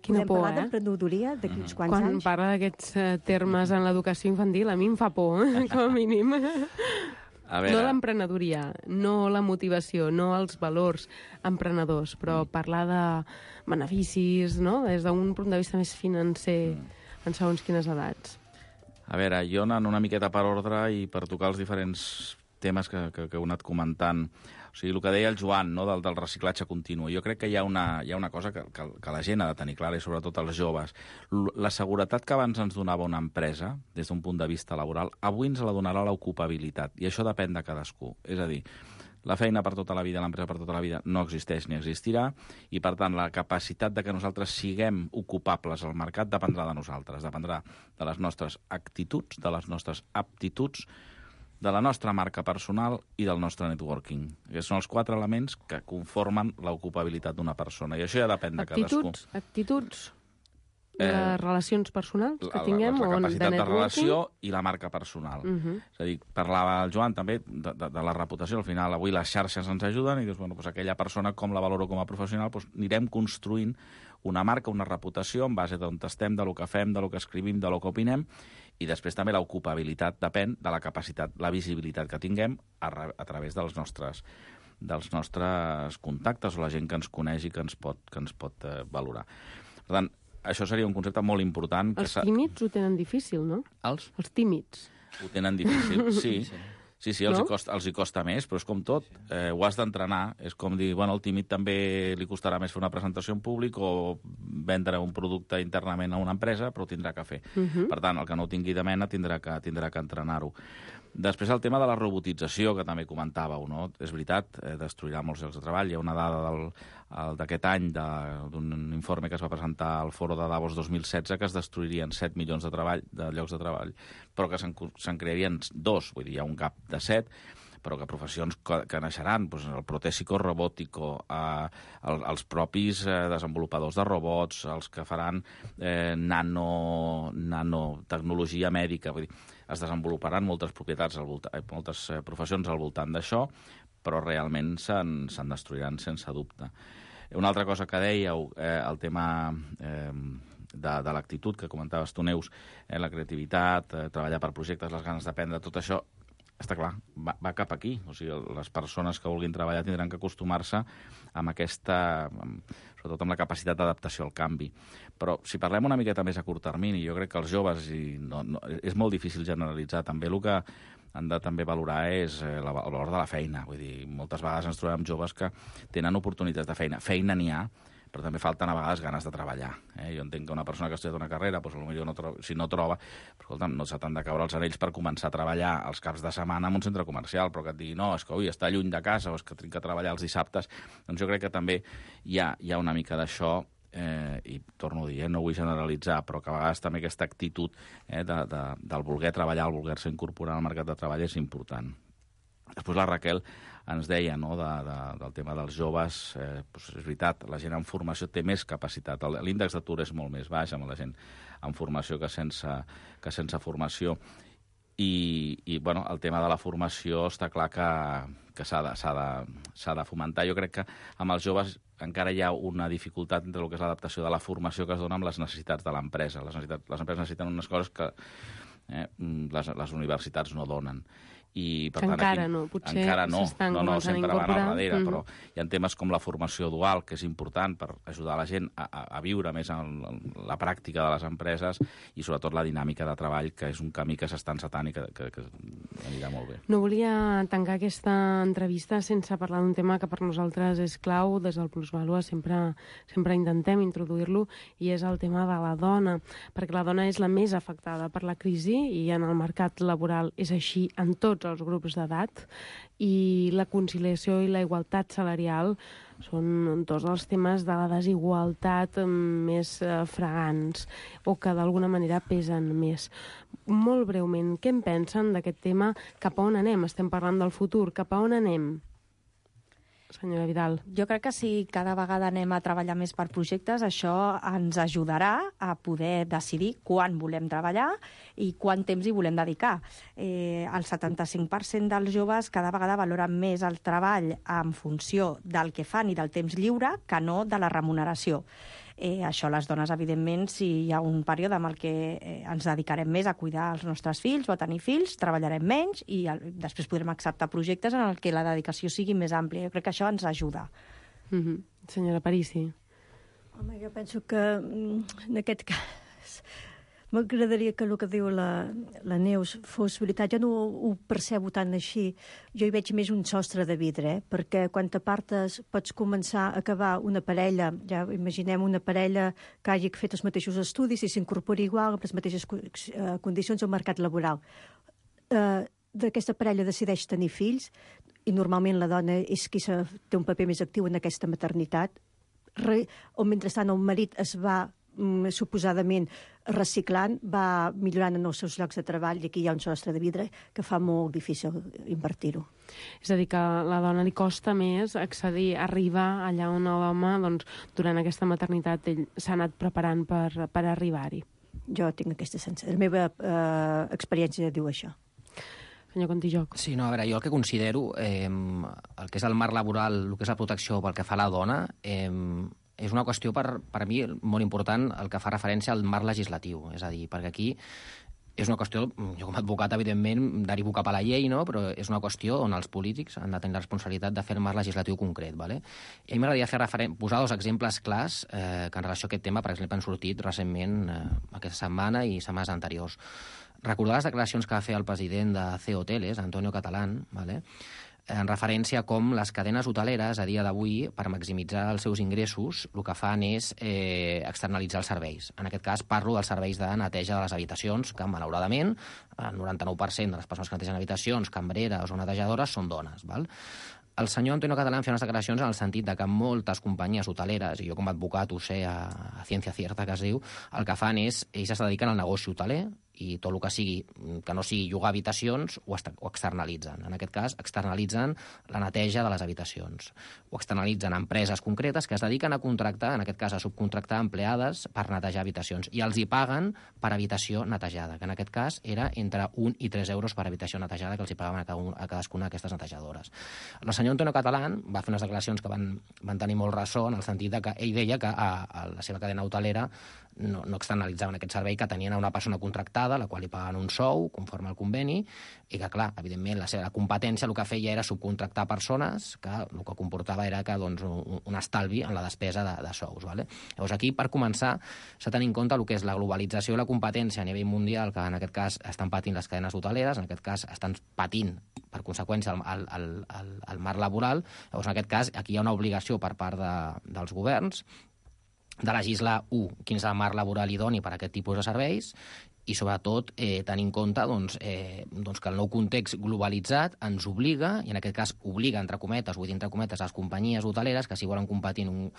Quina podem por, parlar eh? d'emprenedoria d'aquí uns quants Quan anys. Quan parla d'aquests uh, termes en l'educació infantil, a mi em fa por, eh? Com a mínim. A veure. No l'emprenedoria, no la motivació, no els valors emprenedors, però mm. parlar de beneficis, no? Des d'un punt de vista més financer, mm. en segons quines edats. A veure, jo anant una miqueta per ordre i per tocar els diferents temes que, que, que heu anat comentant. O sigui, el que deia el Joan, no, del, del reciclatge continu. Jo crec que hi ha una, hi ha una cosa que, que, que la gent ha de tenir clara, i sobretot els joves. La seguretat que abans ens donava una empresa, des d'un punt de vista laboral, avui ens la donarà l'ocupabilitat, i això depèn de cadascú. És a dir, La feina per tota la vida, l'empresa per tota la vida, no existeix ni existirà, i, per tant, la capacitat de que nosaltres siguem ocupables al mercat dependrà de nosaltres, dependrà de les nostres actituds, de les nostres aptituds, de la nostra marca personal i del nostre networking. Aquests són els quatre elements que conformen l'ocupabilitat d'una persona, i això ja depèn de cadascú. Actituds, actituds... Les relacions personals que tinguem, la, la, la capacitat de, de relació i la marca personal. Uh -huh. És a dir, parlava el Joan també de, de, de la reputació. Al final, avui les xarxes ens ajuden i dius, bueno, doncs aquella persona, com la valoro com a professional, doncs anirem construint una marca, una reputació en base d'on estem, de lo que fem, de lo que escrivim, de lo que opinem, i després també l'ocupabilitat depèn de la capacitat, la visibilitat que tinguem a, a través dels nostres dels nostres contactes o la gent que ens coneix i que ens pot, que ens pot eh, valorar. Per tant, això seria un concepte molt important. Els que tímids ho tenen difícil, no? Els? Els tímids. Ho tenen difícil, sí. Sí, sí, els, no? hi costa, els hi costa més, però és com tot. Eh, ho has d'entrenar. És com dir, bueno, al tímid també li costarà més fer una presentació en públic o vendre un producte internament a una empresa, però ho tindrà que fer. Uh -huh. Per tant, el que no ho tingui de mena tindrà que, tindrà que entrenar-ho. Després el tema de la robotització, que també comentàveu, no? És veritat, eh, destruirà molts llocs de treball. Hi ha una dada d'aquest any d'un informe que es va presentar al Foro de Davos dos mil setze que es destruirien set milions de, treball, de llocs de treball, però que se'n crearien dos, vull dir, hi ha un gap de set, però que professions que, que naixeran, doncs el protèsico robòtico, eh, el, els propis eh, desenvolupadors de robots, els que faran eh, nano, nanotecnologia mèdica, vull dir, es desenvoluparan moltes propietats, al volta, eh, moltes eh, professions al voltant d'això, però realment se'n se'n destruiran sense dubte. Una altra cosa que dèieu, eh, el tema eh, de, de l'actitud que comentaves tu, Neus, eh, la creativitat, eh, treballar per projectes, les ganes d'aprendre, tot això, està clar, va, va cap aquí. O sigui, les persones que vulguin treballar tindran que acostumar-se amb aquesta, amb, sobretot amb la capacitat d'adaptació al canvi. Però si parlem una miqueta més a curt termini, jo crec que els joves, i no, no, és molt difícil generalitzar, també el que han de també valorar és eh, la, el valor de la feina. Vull dir, moltes vegades ens trobem joves que tenen oportunitats de feina. Feina n'hi ha, però també falten a vegades ganes de treballar. Eh? Jo entenc que una persona que ha estudiat una carrera, doncs, potser no troba, si no troba, però, escolta'm, no se t'han de caure els anells per començar a treballar els caps de setmana en un centre comercial, però que et digui, no, és que ui, està lluny de casa o és que tinc que treballar els dissabtes. Doncs jo crec que també hi ha, hi ha una mica d'això, eh, i torno a dir, eh, no vull generalitzar, però que a vegades també aquesta actitud eh, de, de, del voler treballar, el voler-se incorporar al mercat de treball és important. Després la Raquel ens deia, no, de, de, del tema dels joves, eh, doncs és veritat, la gent en formació té més capacitat. L'índex d'atur és molt més baix amb la gent en formació que sense, que sense formació. I, i bueno, el tema de la formació està clar que, que s'ha de, s'ha de, s'ha de fomentar. Jo crec que amb els joves encara hi ha una dificultat entre el que és l'adaptació de la formació que es dona amb les necessitats de l'empresa. Les, les empreses necessiten unes coses que eh, les, les universitats no donen. I, per tant, encara aquí, no, potser encara no, no, no, sempre van al darrere, mm. però hi ha temes com la formació dual, que és important per ajudar la gent a, a, a viure més en, en la pràctica de les empreses i sobretot la dinàmica de treball, que és un camí que s'està encetant i que, que, que anirà molt bé. No volia tancar aquesta entrevista sense parlar d'un tema que per nosaltres és clau, des del Plusvàlua sempre, sempre intentem introduir-lo, i és el tema de la dona, perquè la dona és la més afectada per la crisi i en el mercat laboral és així en tots els grups d'edat, i la conciliació i la igualtat salarial són dos dels temes de la desigualtat més eh, fragants o que d'alguna manera pesen més. Molt breument, què en pensen d'aquest tema? Cap a on anem? Estem parlant del futur. Cap a on anem? Senyora Vidal. Jo crec que si cada vegada anem a treballar més per projectes, això ens ajudarà a poder decidir quan volem treballar i quant temps hi volem dedicar. Eh, el setanta-cinc per cent dels joves cada vegada valoren més el treball en funció del que fan i del temps lliure que no de la remuneració. Eh, això les dones, evidentment, si hi ha un període en el que eh, ens dedicarem més a cuidar els nostres fills o a tenir fills, treballarem menys i el, després podrem acceptar projectes en el que la dedicació sigui més àmplia. Jo crec que això ens ajuda. Mm-hmm. Senyora Parisi. Home, jo penso que en aquest cas m'agradaria que el que diu la, la Neus fos veritat. Jo no ho percebo tant així. Jo hi veig més un sostre de vidre, eh? Perquè quan t'apartes pots començar a acabar una parella, ja imaginem una parella que hagi fet els mateixos estudis i s'incorpori igual amb les mateixes condicions al mercat laboral. Eh, d'aquesta parella decideix tenir fills, i normalment la dona és qui se, té un paper més actiu en aquesta maternitat, re, o mentrestant el marit es va mm, suposadament reciclant, va millorant en els seus llocs de treball, i aquí hi ha un sostre de vidre que fa molt difícil invertir-ho. És a dir, que a la dona li costa més accedir, arribar allà on l'home, doncs, durant aquesta maternitat, ell s'ha anat preparant per, per arribar-hi. Jo tinc aquesta sensació. La meva eh, experiència diu això. Senyor Contijoc. Sí, no, a veure, jo el que considero, eh, el que és el marc laboral, el que és la protecció pel que fa a la dona, eh, és una qüestió, per, per mi, molt important el que fa referència al marc legislatiu. És a dir, perquè aquí és una qüestió, jo com a advocat, evidentment, derivo cap a la llei, no? Però és una qüestió on els polítics han de tenir la responsabilitat de fer el marc legislatiu concret. Vale? I a mi m'agradaria fer referen- posar dos exemples clars eh, que en relació a aquest tema, per exemple, han sortit recentment eh, aquesta setmana i setmanes anteriors. Recordar les declaracions que va fer el president de C Hoteles, Antonio Catalán, vale? En referència a com les cadenes hoteleres a dia d'avui, per maximitzar els seus ingressos, el que fan és eh, externalitzar els serveis. En aquest cas parlo dels serveis de neteja de les habitacions, que malauradament el noranta-nou per cent de les persones que netegen habitacions, cambreres o netejadores, són dones. Val? El senyor Antonio Catalán feia unes declaracions en el sentit de que moltes companyies hoteleres, i jo com a advocat ho sé a, a ciència cierta que es diu, el que fan és, ells es dediquen al negoci hoteler, i tot el que sigui, que no sigui llogar habitacions, ho, ho externalitzen. En aquest cas, externalitzen la neteja de les habitacions. Ho externalitzen a empreses concretes que es dediquen a contractar, en aquest cas a subcontractar empleades per netejar habitacions, i els hi paguen per habitació netejada, que en aquest cas era entre un i tres euros per habitació netejada que els hi pagaven a, cada un, a cadascuna d'aquestes netejadores. El senyor Antonio Catalán va fer unes declaracions que van, van tenir molt ressò, en el sentit de que ell deia que a, a la seva cadena hotelera no, no externalitzaven aquest servei, que tenien a una persona contractada, la qual li pagaven un sou, conforme al conveni, i que, clar, evidentment, la seva competència el que feia era subcontractar persones, que el que comportava era que, doncs, un, un estalvi en la despesa de, de sous. Vale? Llavors, aquí, per començar, s'ha de tenir en compte el que és la globalització i la competència a nivell mundial, que en aquest cas estan patint les cadenes hoteleres, en aquest cas estan patint, per conseqüència, el, el, el, el, el marc laboral. Llavors, en aquest cas, aquí hi ha una obligació per part de, dels governs de legislar, u, quin és el marc laboral idoni per a aquest tipus de serveis, i sobretot eh, tenir en compte doncs, eh, doncs que el nou context globalitzat ens obliga, i en aquest cas obliga, entre cometes, vull dir entre cometes, les companyies hoteleres que si volen competir en un...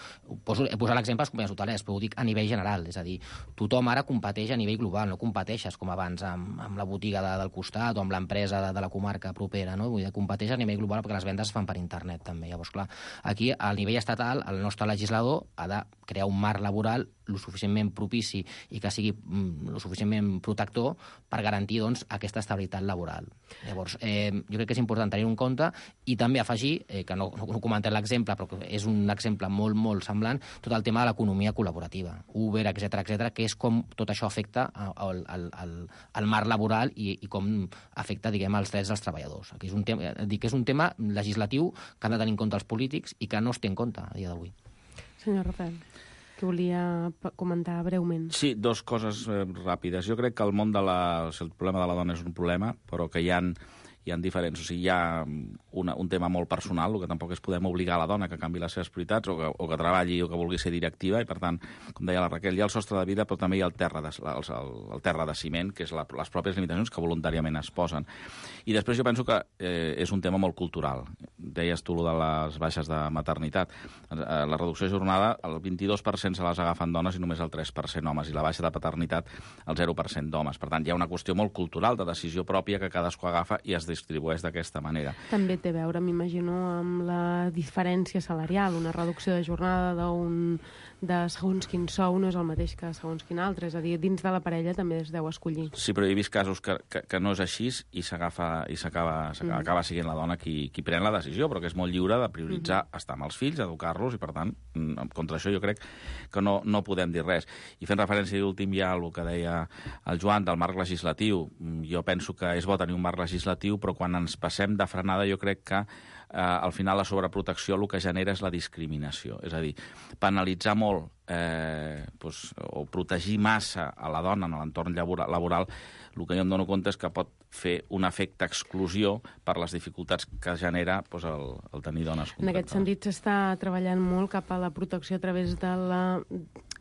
Poso, he posat l'exemple de les companyies hoteleres, però ho dic a nivell general, és a dir, tothom ara competeix a nivell global, no competeixes com abans amb, amb la botiga de, del costat o amb l'empresa de, de la comarca propera, no? Vull dir, competeix a nivell global perquè les vendes es fan per internet també. Llavors, clar, aquí al nivell estatal el nostre legislador ha de crear un marc laboral lo suficientment propici i que sigui mm, lo suficientment protector per garantir doncs, aquesta estabilitat laboral. Llavors, eh, jo crec que és important tenir en compte i també afegir, eh, que no, no, no comentem l'exemple, però que és un exemple molt, molt semblant, tot el tema de l'economia col·laborativa, Uber, etcètera, etcètera, que és com tot això afecta al, al, al, al marc laboral i, i com afecta, diguem, els drets dels treballadors. Aquí és un tema, dic que és un tema legislatiu que han de tenir en compte els polítics i que no es té en compte a dia d'avui. Senyor Rafael, que volia comentar breument. Sí, dos coses eh, ràpides. Jo crec que el món de la... el problema de la dona és un problema, però que hi ha, hi ha diferents. O sigui, hi ha una, un tema molt personal, el que tampoc és podem obligar a la dona que canvi les seves prioritats o que, o que treballi o que vulgui ser directiva, i per tant, com deia la Raquel, hi ha el sostre de vida, però també hi ha el terra de, el, el, el terra de ciment, que és la, les pròpies limitacions que voluntàriament es posen. I després jo penso que eh, és un tema molt cultural. Deies tu de les baixes de maternitat. La reducció de jornada, el vint-i-dos per cent se les agafen dones i només el tres per cent homes, i la baixa de paternitat el zero per cent d'homes. Per tant, hi ha una qüestió molt cultural de decisió pròpia que cadascú agafa i es distribueix d'aquesta manera. També té a veure, m'imagino, amb la diferència salarial. Una reducció de jornada d'un de segons quin sou no és el mateix que segons quin altre. És a dir, dins de la parella també es deu escollir. Sí, però he vist casos que, que, que no és així i s'agafa i s'acaba mm. acaba sent la dona qui, qui pren la decisió, però que és molt lliure de prioritzar mm. estar amb els fills, educar-los, i per tant, contra això jo crec que no, no podem dir res. I fent referència a l'últim ja al que deia el Joan del marc legislatiu, jo penso que és bo tenir un marc legislatiu, però quan ens passem de frenada jo crec que eh, al final la sobreprotecció el que genera és la discriminació. És a dir, penalitzar molt eh, doncs, o protegir massa a la dona en l'entorn laboral, el que jo em dono compte és que pot fer un efecte exclusió per les dificultats que genera doncs, el, el tenir dones contractades. En aquest sentit s'està treballant molt cap a la protecció a través de la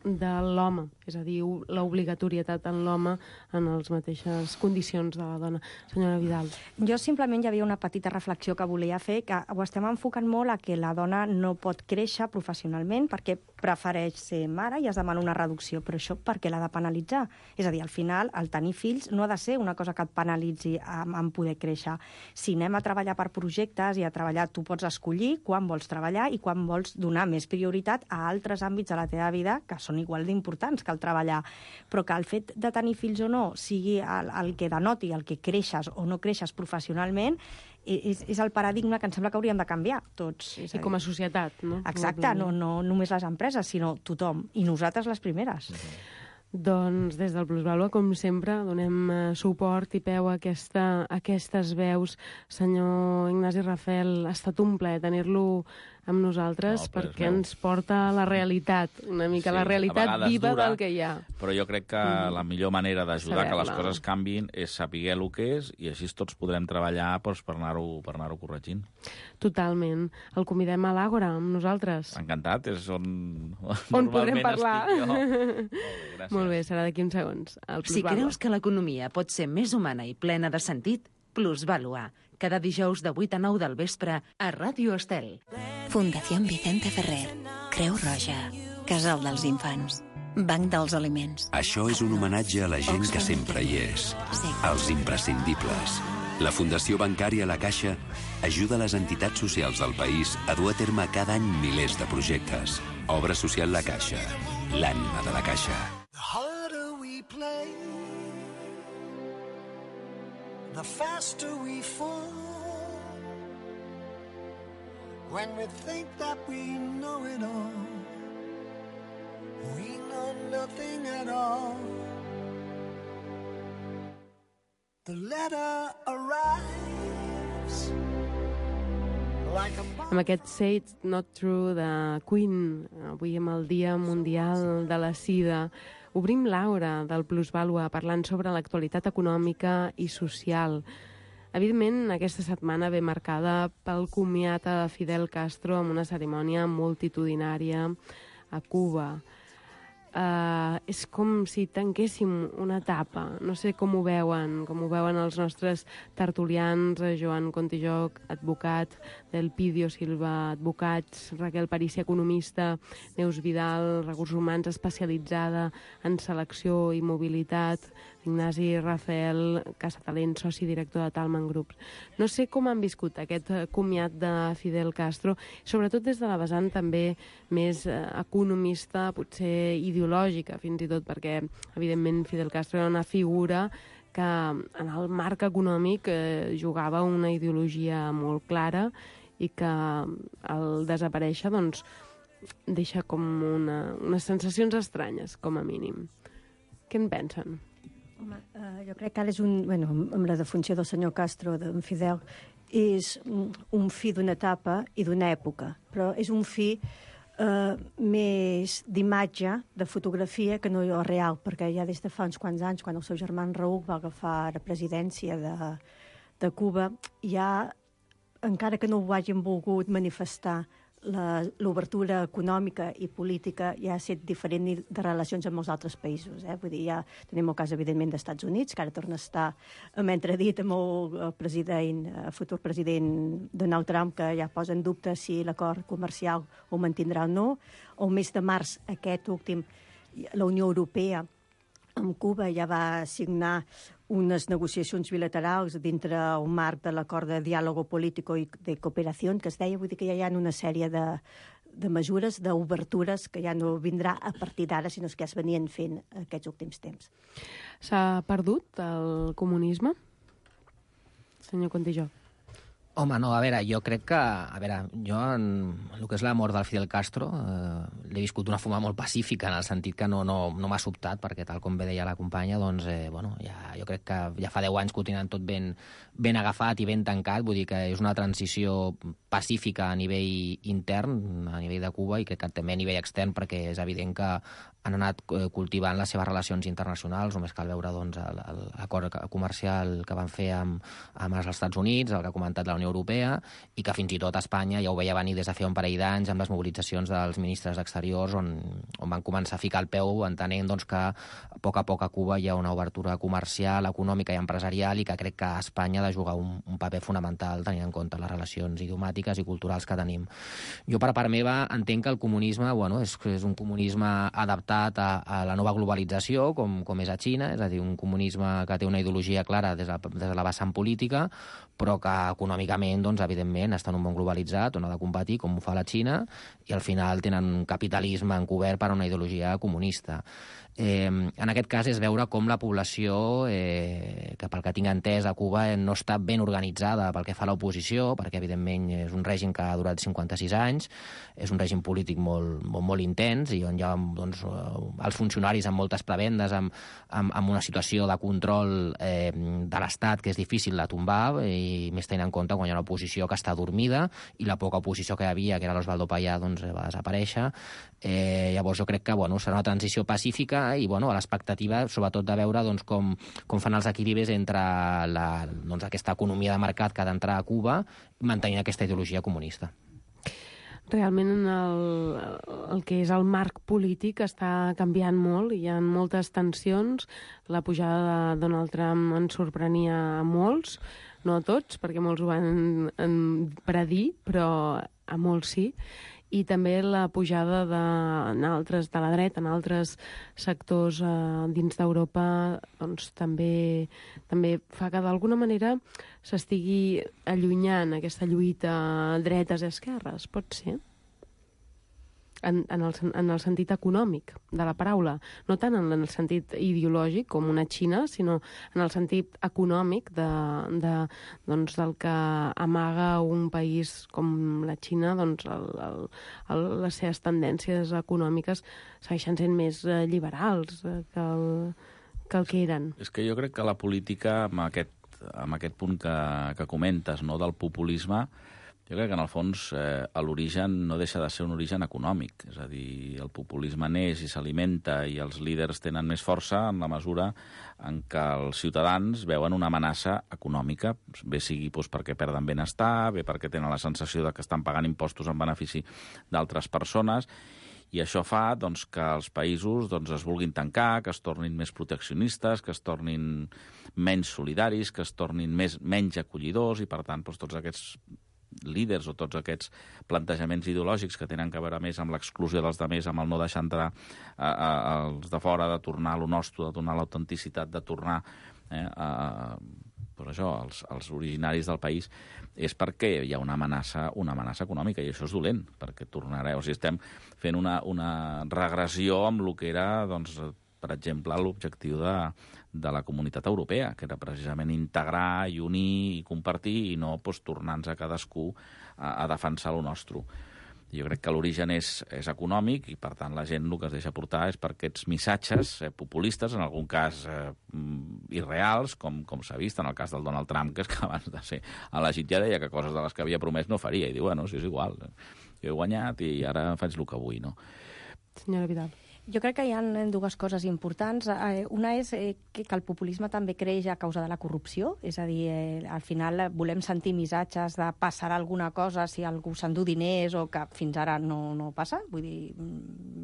de l'home, és a dir, l'obligatorietat en l'home en les mateixes condicions de la dona. Senyora Vidal. Jo simplement hi havia una petita reflexió que volia fer, que ho estem enfocant molt a que la dona no pot créixer professionalment perquè prefereix ser mare i es demana una reducció, però això per què l'ha de penalitzar? És a dir, al final, el tenir fills no ha de ser una cosa que et penalitzi en, en poder créixer. Si anem a treballar per projectes i a treballar, tu pots escollir quan vols treballar i quan vols donar més prioritat a altres àmbits de la teva vida que són igual d'importants que el treballar, però que el fet de tenir fills o no sigui el, el que denoti el que creixes o no creixes professionalment, és, és el paradigma que em sembla que hauríem de canviar tots. I com a societat, no? Exacte, no, no només les empreses, sinó tothom, i nosaltres les primeres. Mm-hmm. Doncs des del Plusvàlua, com sempre, donem suport i peu a, aquesta, a aquestes veus. Senyor Ignasi Rafel, ha estat un plaer tenir-lo amb nosaltres, no, perquè ens porta a la realitat, una mica sí, la realitat viva dura, del que hi ha. Però jo crec que mm. la millor manera d'ajudar que les coses canvin és saber el que és i així tots podrem treballar doncs, per anar-ho per anar-ho corregint. Totalment. El convidem a l'Àgora amb nosaltres. Encantat, és on, on podrem parlar. Molt bé, gràcies. Molt bé, serà d'aquí uns segons. Si creus que l'economia pot ser més humana i plena de sentit, Plusvàlua. Cada dijous de vuit a nou del vespre a Ràdio Estel. Fundació Vicente Ferrer. Creu Roja. Casal dels Infants. Banc dels Aliments. Això és un homenatge a la gent que sempre hi és. Sí. Els imprescindibles. La Fundació Bancària La Caixa ajuda les entitats socials del país a dur a terme cada any milers de projectes. Obra social La Caixa. L'ànima de la Caixa. The faster we fall, when we think that we know it all, we know nothing at all. The letter arrives like a bomb. Amb aquest Say It's Not True de Queen, avui amb el Dia Mundial de la Sida, obrim l'Àgora del Plusvàlua parlant sobre l'actualitat econòmica i social. Evidentment, aquesta setmana ve marcada pel comiat a Fidel Castro amb una cerimònia multitudinària a Cuba. Uh, és com si tanquéssim una etapa. No sé com ho veuen, com ho veuen els nostres tertulians, Joan Contijoc, advocat, del Pidio Silva, advocats, Raquel Parícia, economista, Neus Vidal, recursos humans especialitzada en selecció i mobilitat, Ignasi Rafel, Casatalent, soci director de Talman Group. No sé com han viscut aquest comiat de Fidel Castro, sobretot des de la vessant també més economista, potser ideològica fins i tot, perquè evidentment Fidel Castro era una figura que en el marc econòmic eh, jugava una ideologia molt clara i que al desaparèixer doncs, deixa com una, unes sensacions estranyes, com a mínim. Què en pensen? Home, uh, jo crec que ara és un... Bueno, amb la defunció del senyor Castro, d'en Fidel, és un fi d'una etapa i d'una època, però és un fi uh, més d'imatge, de fotografia, que no real, perquè ja des de fa uns quants anys, quan el seu germà Raúl va agafar la presidència de, de Cuba, ja, encara que no ho hagin volgut manifestar, l'obertura econòmica i política ja ha estat diferent de relacions amb molts altres països. Eh? Vull dir, ja tenim el cas, evidentment, dels Estats Units, que ara torna a estar amb entredit amb el president, el futur president Donald Trump, que ja posa en dubte si l'acord comercial ho mantindrà o no. El mes de març, aquest últim, la Unió Europea amb Cuba ja va signar unes negociacions bilaterals dintre el marc de l'acord de diàleg polític i de cooperació, que es deia, vull dir que ja hi ha una sèrie de, de mesures, d'obertures, que ja no vindrà a partir d'ara, sinó que ja es venien fent aquests últims temps. S'ha perdut el comunisme? Senyor Contijoc. Home, no, a veure, jo crec que... A veure, jo, en el que és la mort del Fidel Castro, eh, l'he viscut d'una forma molt pacífica, en el sentit que no, no, no m'ha sobtat, perquè tal com bé deia la companya, doncs, eh, bueno, ja, jo crec que ja fa deu anys que ho tenen tot ben, ben agafat i ben tancat, vull dir que és una transició pacífica a nivell intern, a nivell de Cuba, i crec que també a nivell extern, perquè és evident que han anat cultivant les seves relacions internacionals, només cal veure doncs, l'acord comercial que van fer amb, amb els Estats Units, el que ha comentat la Unió Unió Europea i que fins i tot Espanya ja ho veia venir des de fa un parell d'anys amb les mobilitzacions dels ministres d'Exteriors on, on van començar a ficar el peu entenent doncs, que a poc a poc a Cuba hi ha una obertura comercial, econòmica i empresarial i que crec que Espanya ha de jugar un, un paper fonamental tenint en compte les relacions idiomàtiques i culturals que tenim. Jo, per part meva, entenc que el comunisme bueno, és, és un comunisme adaptat a, a la nova globalització, com, com és a Xina, és a dir, un comunisme que té una ideologia clara des de, des de la vessant política, però que econòmicament, doncs, evidentment, està en un món globalitzat on ha de competir, com ho fa la Xina, i al final tenen un capitalisme encobert per una ideologia comunista. Eh, en aquest cas és veure com la població, eh, que pel que tinc entès a Cuba eh, no està ben organitzada pel que fa a l'oposició, perquè evidentment és un règim que ha durat cinquanta-sis anys, és un règim polític molt, molt, molt intens i on hi ha doncs, els funcionaris amb moltes prebendes, amb, amb, amb una situació de control eh, de l'Estat que és difícil de tombar i més tenint en compte quan hi ha una oposició que està dormida i la poca oposició que hi havia, que era l'Osvaldo Payá, doncs va desaparèixer. Eh, llavors jo crec que bueno, serà una transició pacífica i bueno, a l'expectativa sobretot de veure doncs, com, com fan els equilibris entre la, doncs, aquesta economia de mercat que ha d'entrar a Cuba mantenint aquesta ideologia comunista. Realment el, el que és el marc polític està canviant molt, hi ha moltes tensions, la pujada de Donald Trump ens sorprenia a molts, no a tots, perquè molts ho van en predir, però a molts sí, i també la pujada de, en altres, de la dreta, en altres sectors eh, dins d'Europa, doncs també, també fa que d'alguna manera s'estigui allunyant aquesta lluita dretes-esquerres, pot ser? En, en, el, en el sentit econòmic de la paraula, no tant en el sentit ideològic com una Xina, sinó en el sentit econòmic de, de, doncs, del que amaga un país com la Xina, doncs el, el, el, les seves tendències econòmiques segueixen sent més eh, liberals eh, que, el, que el que eren. És que jo crec que la política, amb aquest, amb aquest punt que, que comentes, no, del populisme, jo crec que, en el fons, eh, l'origen no deixa de ser un origen econòmic. És a dir, el populisme neix i s'alimenta i els líders tenen més força en la mesura en què els ciutadans veuen una amenaça econòmica, bé sigui doncs, perquè perden benestar, bé perquè tenen la sensació de que estan pagant impostos en benefici d'altres persones, i això fa doncs, que els països doncs, es vulguin tancar, que es tornin més proteccionistes, que es tornin menys solidaris, que es tornin més, menys acollidors, i, per tant, doncs, tots aquests líders o tots aquests plantejaments ideològics que tenen a veure més amb l'exclusió dels demés, amb el no deixar entrar a, a, als de fora, de tornar a lo nostre, de tornar a l'autenticitat, de tornar eh, a, per això, als, als originaris del país, és perquè hi ha una amenaça, una amenaça econòmica, i això és dolent, perquè tornarà, o sigui, estem fent una, una regressió amb el que era, doncs, per exemple, l'objectiu de, de la Comunitat Europea, que era precisament integrar i unir i compartir i no doncs, tornar-nos a cadascú a, a defensar el nostre. Jo crec que l'origen és, és econòmic i, per tant, la gent el que es deixa portar és per aquests missatges eh, populistes, en algun cas eh, irreals, com, com s'ha vist en el cas del Donald Trump, que és que abans de ser elegit ja deia que coses de les que havia promès no faria, i diu, bueno, si és igual, jo he guanyat i ara faig el que vull, no? Senyora Vidal. Jo crec que hi ha dues coses importants. Una és que el populisme també creix a causa de la corrupció, és a dir, al final volem sentir missatges de passarà alguna cosa si algú s'endú diners o que fins ara no, no passa. Vull dir,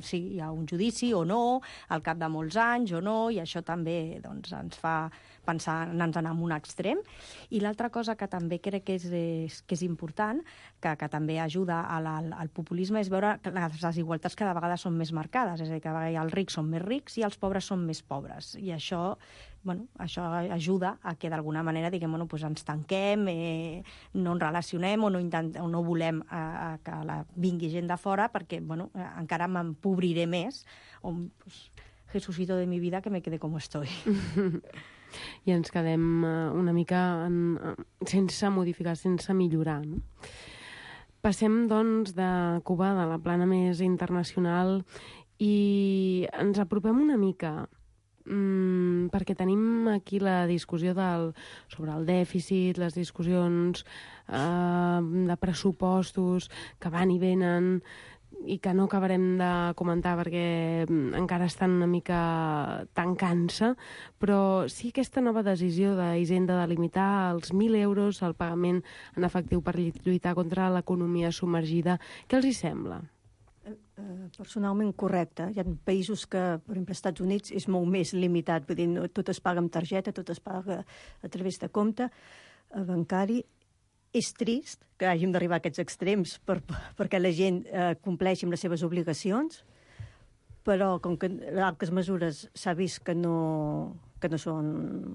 sí, hi ha un judici o no, al cap de molts anys o no, i això també doncs, ens fa pensar en anar en un extrem. I l'altra cosa que també crec que és, és, que és important, que, que també ajuda a la, al populisme, és veure que les desigualtats cada vegada són més marcades, és a dir, que els rics són més rics i els pobres són més pobres. I això, bueno, això ajuda a que d'alguna manera diguem, bueno, doncs ens tanquem, eh, no ens relacionem o no, intentem, o no volem eh, que la, vingui gent de fora perquè bueno, eh, encara m'empobriré més. O, pues, Jesucito de mi vida, que me quede com estoy. I ens quedem una mica en, sense modificar, sense millorar, no? Passem, doncs, de Cuba, de la plana més internacional, i ens apropem una mica, mmm, perquè tenim aquí la discussió del, sobre el dèficit, les discussions eh, de pressupostos que van i venen. i que no acabarem de comentar perquè encara estan una mica tancant-se, però sí aquesta nova decisió d'Hisenda de limitar els mil euros al pagament en efectiu per lluitar contra l'economia submergida. Què els hi sembla? Personalment correcte. Hi ha països que, per exemple, als Estats Units és molt més limitat, vull dir, no, tot es paga amb targeta, tot es paga a través de compte bancari. És trist que hàgim d'arribar a aquests extrems per, perquè la gent eh, compleixi amb les seves obligacions, però com que altres mesures s'ha vist que no, que no, són,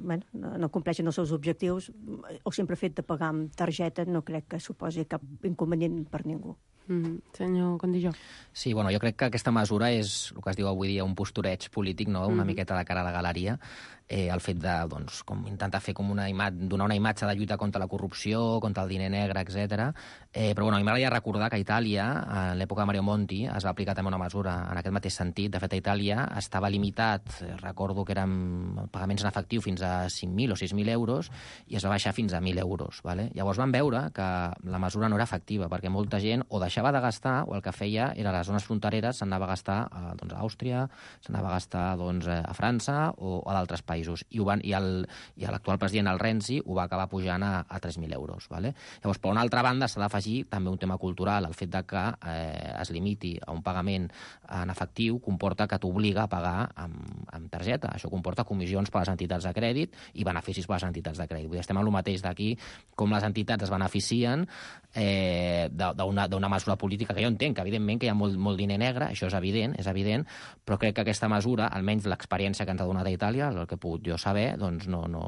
bueno, no, no compleixen els seus objectius, el simple fet de pagar amb targeta no crec que suposi cap inconvenient per ningú. Mm, senyor Condilló. Sí, bueno, jo crec que aquesta mesura és el que es diu avui dia un postureig polític, no? Una Mm. miqueta de cara a la galeria. Eh, el fet de, doncs, com intentar fer com una imatge, donar una imatge de lluita contra la corrupció, contra el diner negre, etcètera. Eh, però bueno, a mi m'agradaria recordar que a Itàlia, en l'època de Mario Monti, es va aplicar també una mesura en aquest mateix sentit. De fet, a Itàlia estava limitat, eh, recordo que eren pagaments en efectiu fins a cinc mil o sis mil euros, i es va baixar fins a mil euros. Vale? Llavors van veure que la mesura no era efectiva, perquè molta gent o deixava de gastar, o el que feia era a les zones frontereres, s'anava a gastar a, doncs, a Àustria, s'anava a gastar doncs, a França o a d'altres països. I, ho van, i, el, i l'actual president, el Renzi, ho va acabar pujant a, a tres mil euros. Vale? Llavors, per una altra banda, s'ha d'afegir també un tema cultural. El fet de que eh, es limiti a un pagament en efectiu comporta que t'obliga a pagar amb, amb targeta. Això comporta comissions per a les entitats de crèdit i beneficis per a les entitats de crèdit. Vull dir, estem en el mateix d'aquí, com les entitats es beneficien eh, d'una mesura política, que jo entenc que, evidentment, que hi ha molt, molt diner negre, això és evident, és evident, però crec que aquesta mesura, almenys l'experiència que ens ha donat a Itàlia, el que he pogut jo saber, doncs no, no,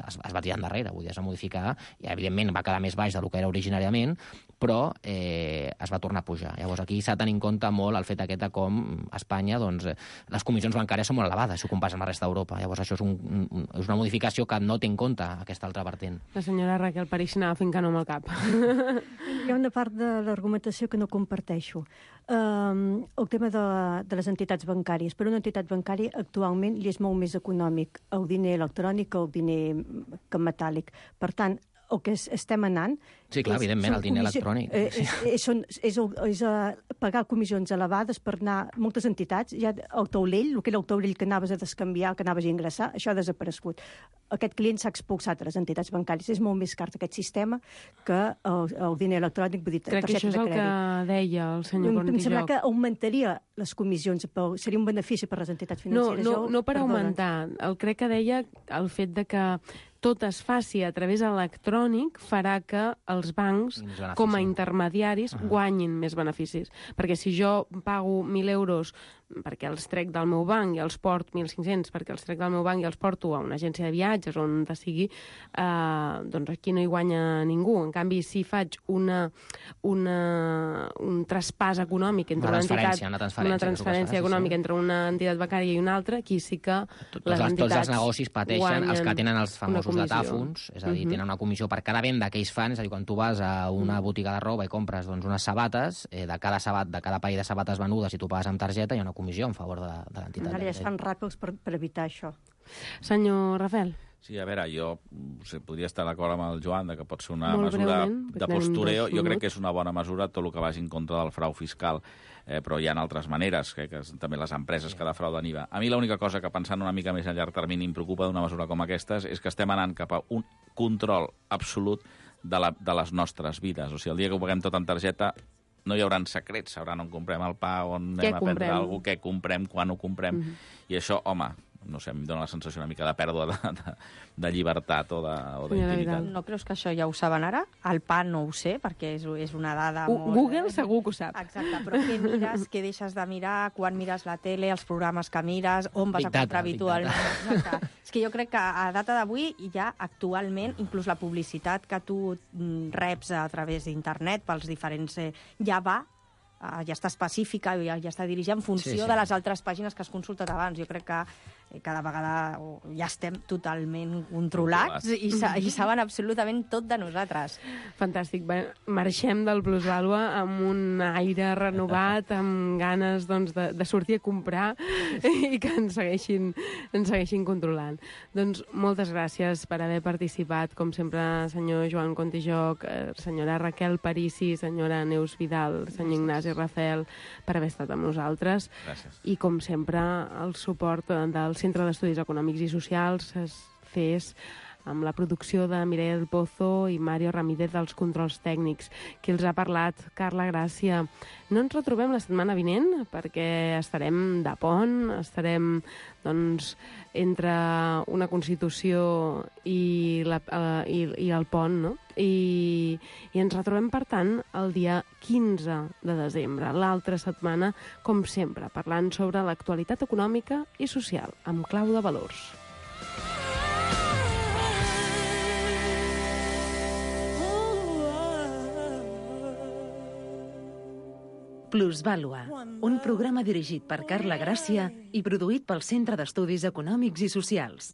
es, es va tirar endarrere, vull dir, es va modificar, i evidentment va quedar més baix del que era originàriament, però eh, es va tornar a pujar. Llavors aquí s'ha de tenir en compte molt el fet aquest de com a Espanya doncs, les comissions bancàries són molt elevades, si ho compares amb la resta d'Europa. Llavors això és, un, un, és una modificació que no té en compte aquesta altra vertent. La senyora Raquel París anava fent que no amb el cap. Hi ha una part de l'argumentació que no comparteixo. Um, el tema de, de les entitats bancàries. Per una entitat bancària actualment li és molt més econòmic el diner electrònic que el diner que metàl·lic. Per tant, el que estem anant... Sí, clar, és, evidentment, el diner electrònic. Eh, és, és, és, és, és uh, pagar comissions elevades per anar... Moltes entitats, ja el taulell, el que era el taulell que anaves a descanviar, que anaves a ingressar, això ha desaparegut. Aquest client s'ha expulsat a les entitats bancàries. És molt més car aquest sistema que el, el diner electrònic, vull dir, crec que això és el que deia el senyor Cornilló. Em sembla que augmentaria les comissions, però seria un benefici per les entitats financeres. No, no, no per Perdona. augmentar. El crec que deia el fet de que tot es faci a través electrònic farà que els bancs, com a intermediaris, uh -huh. guanyin més beneficis. Perquè si jo pago mil euros perquè els trec del meu banc i els porto mil cinc-cents perquè els trec del meu banc i els porto a una agència de viatges on de sigui, eh, doncs aquí no hi guanya ningú. En canvi, si faig una, una, un traspàs econòmic entre una, una entitat, una transferència, una transferència econòmica sí. entre una entitat bancària i una altra, aquí sí que Tot, les entitats tots els negocis pateixen, els que tenen els famosos datàfons, és a dir, uh -huh. tenen una comissió per cada venda que ells fan, és a dir, quan tu vas a una botiga de roba i compres doncs, unes sabates, eh, de cada sabat, de cada parell de sabates venudes, si tu pagues amb targeta, hi ha una comissió en favor de, de l'entitat. Ara ja es fan ràpids per, per evitar això. Senyor Rafael. Sí, a veure, jo o sigui, podria estar d'acord amb el Joan de que pot ser una Molt mesura de postureo. Jo crec que és una bona mesura tot el que vagi en contra del frau fiscal, eh, però hi ha altres maneres, que, que també les empreses que defrauden I V A. A mi l'única cosa que, pensant una mica més a llarg termini, em preocupa d'una mesura com aquesta és que estem anant cap a un control absolut de, la, de les nostres vides. O sigui, el dia que ho paguem tot en targeta no hi haurà secrets, sabrà on comprem el pa, on què anem a prendre comprem? alguna cosa, què comprem, quan ho comprem, Mhm. i això, home, no sé, em dóna la sensació una mica de pèrdua de, de, de llibertat o d'intimitat. No creus que això ja ho saben ara? El pa no ho sé, perquè és, és una dada U molt... Google segur que ho sap. Exacte, però què mires, què deixes de mirar, quan mires la tele, els programes que mires, on vas Big a comprar data, habitualment... Exacte. És que jo crec que a data d'avui ja actualment, inclús la publicitat que tu mm, reps a través d'internet pels diferents... Eh, ja va ja està específica, ja, ja està dirigida en funció Sí, sí. de les altres pàgines que has consultat abans. Jo crec que cada vegada ja estem totalment controlats i, sa i saben absolutament tot de nosaltres. Fantàstic. Bé, marxem del Plusvàlua amb un aire renovat, amb ganes doncs, de, de sortir a comprar i que ens segueixin, ens segueixin controlant. Doncs moltes gràcies per haver participat, com sempre, senyor Joan Contijoc, senyora Raquel Parisi, senyora Neus Vidal, senyor Ignasi Rafel, per haver estat amb nosaltres. Gràcies. I, com sempre, el suport del Centre d'Estudis Econòmics i Socials es fes amb la producció de Mireia del Pozo i Mario Ramírez dels controls tècnics. Qui els ha parlat? Carla Gràcia. No ens retrobem la setmana vinent perquè estarem de pont, estarem doncs, entre una Constitució i, la, uh, i, i el pont, no? I, i ens retrobem, per tant, el dia quinze de desembre, l'altra setmana, com sempre, parlant sobre l'actualitat econòmica i social, amb clau de valors. Plusvàlua, un programa dirigit per Carla Gràcia i produït pel Centre d'Estudis Econòmics i Socials.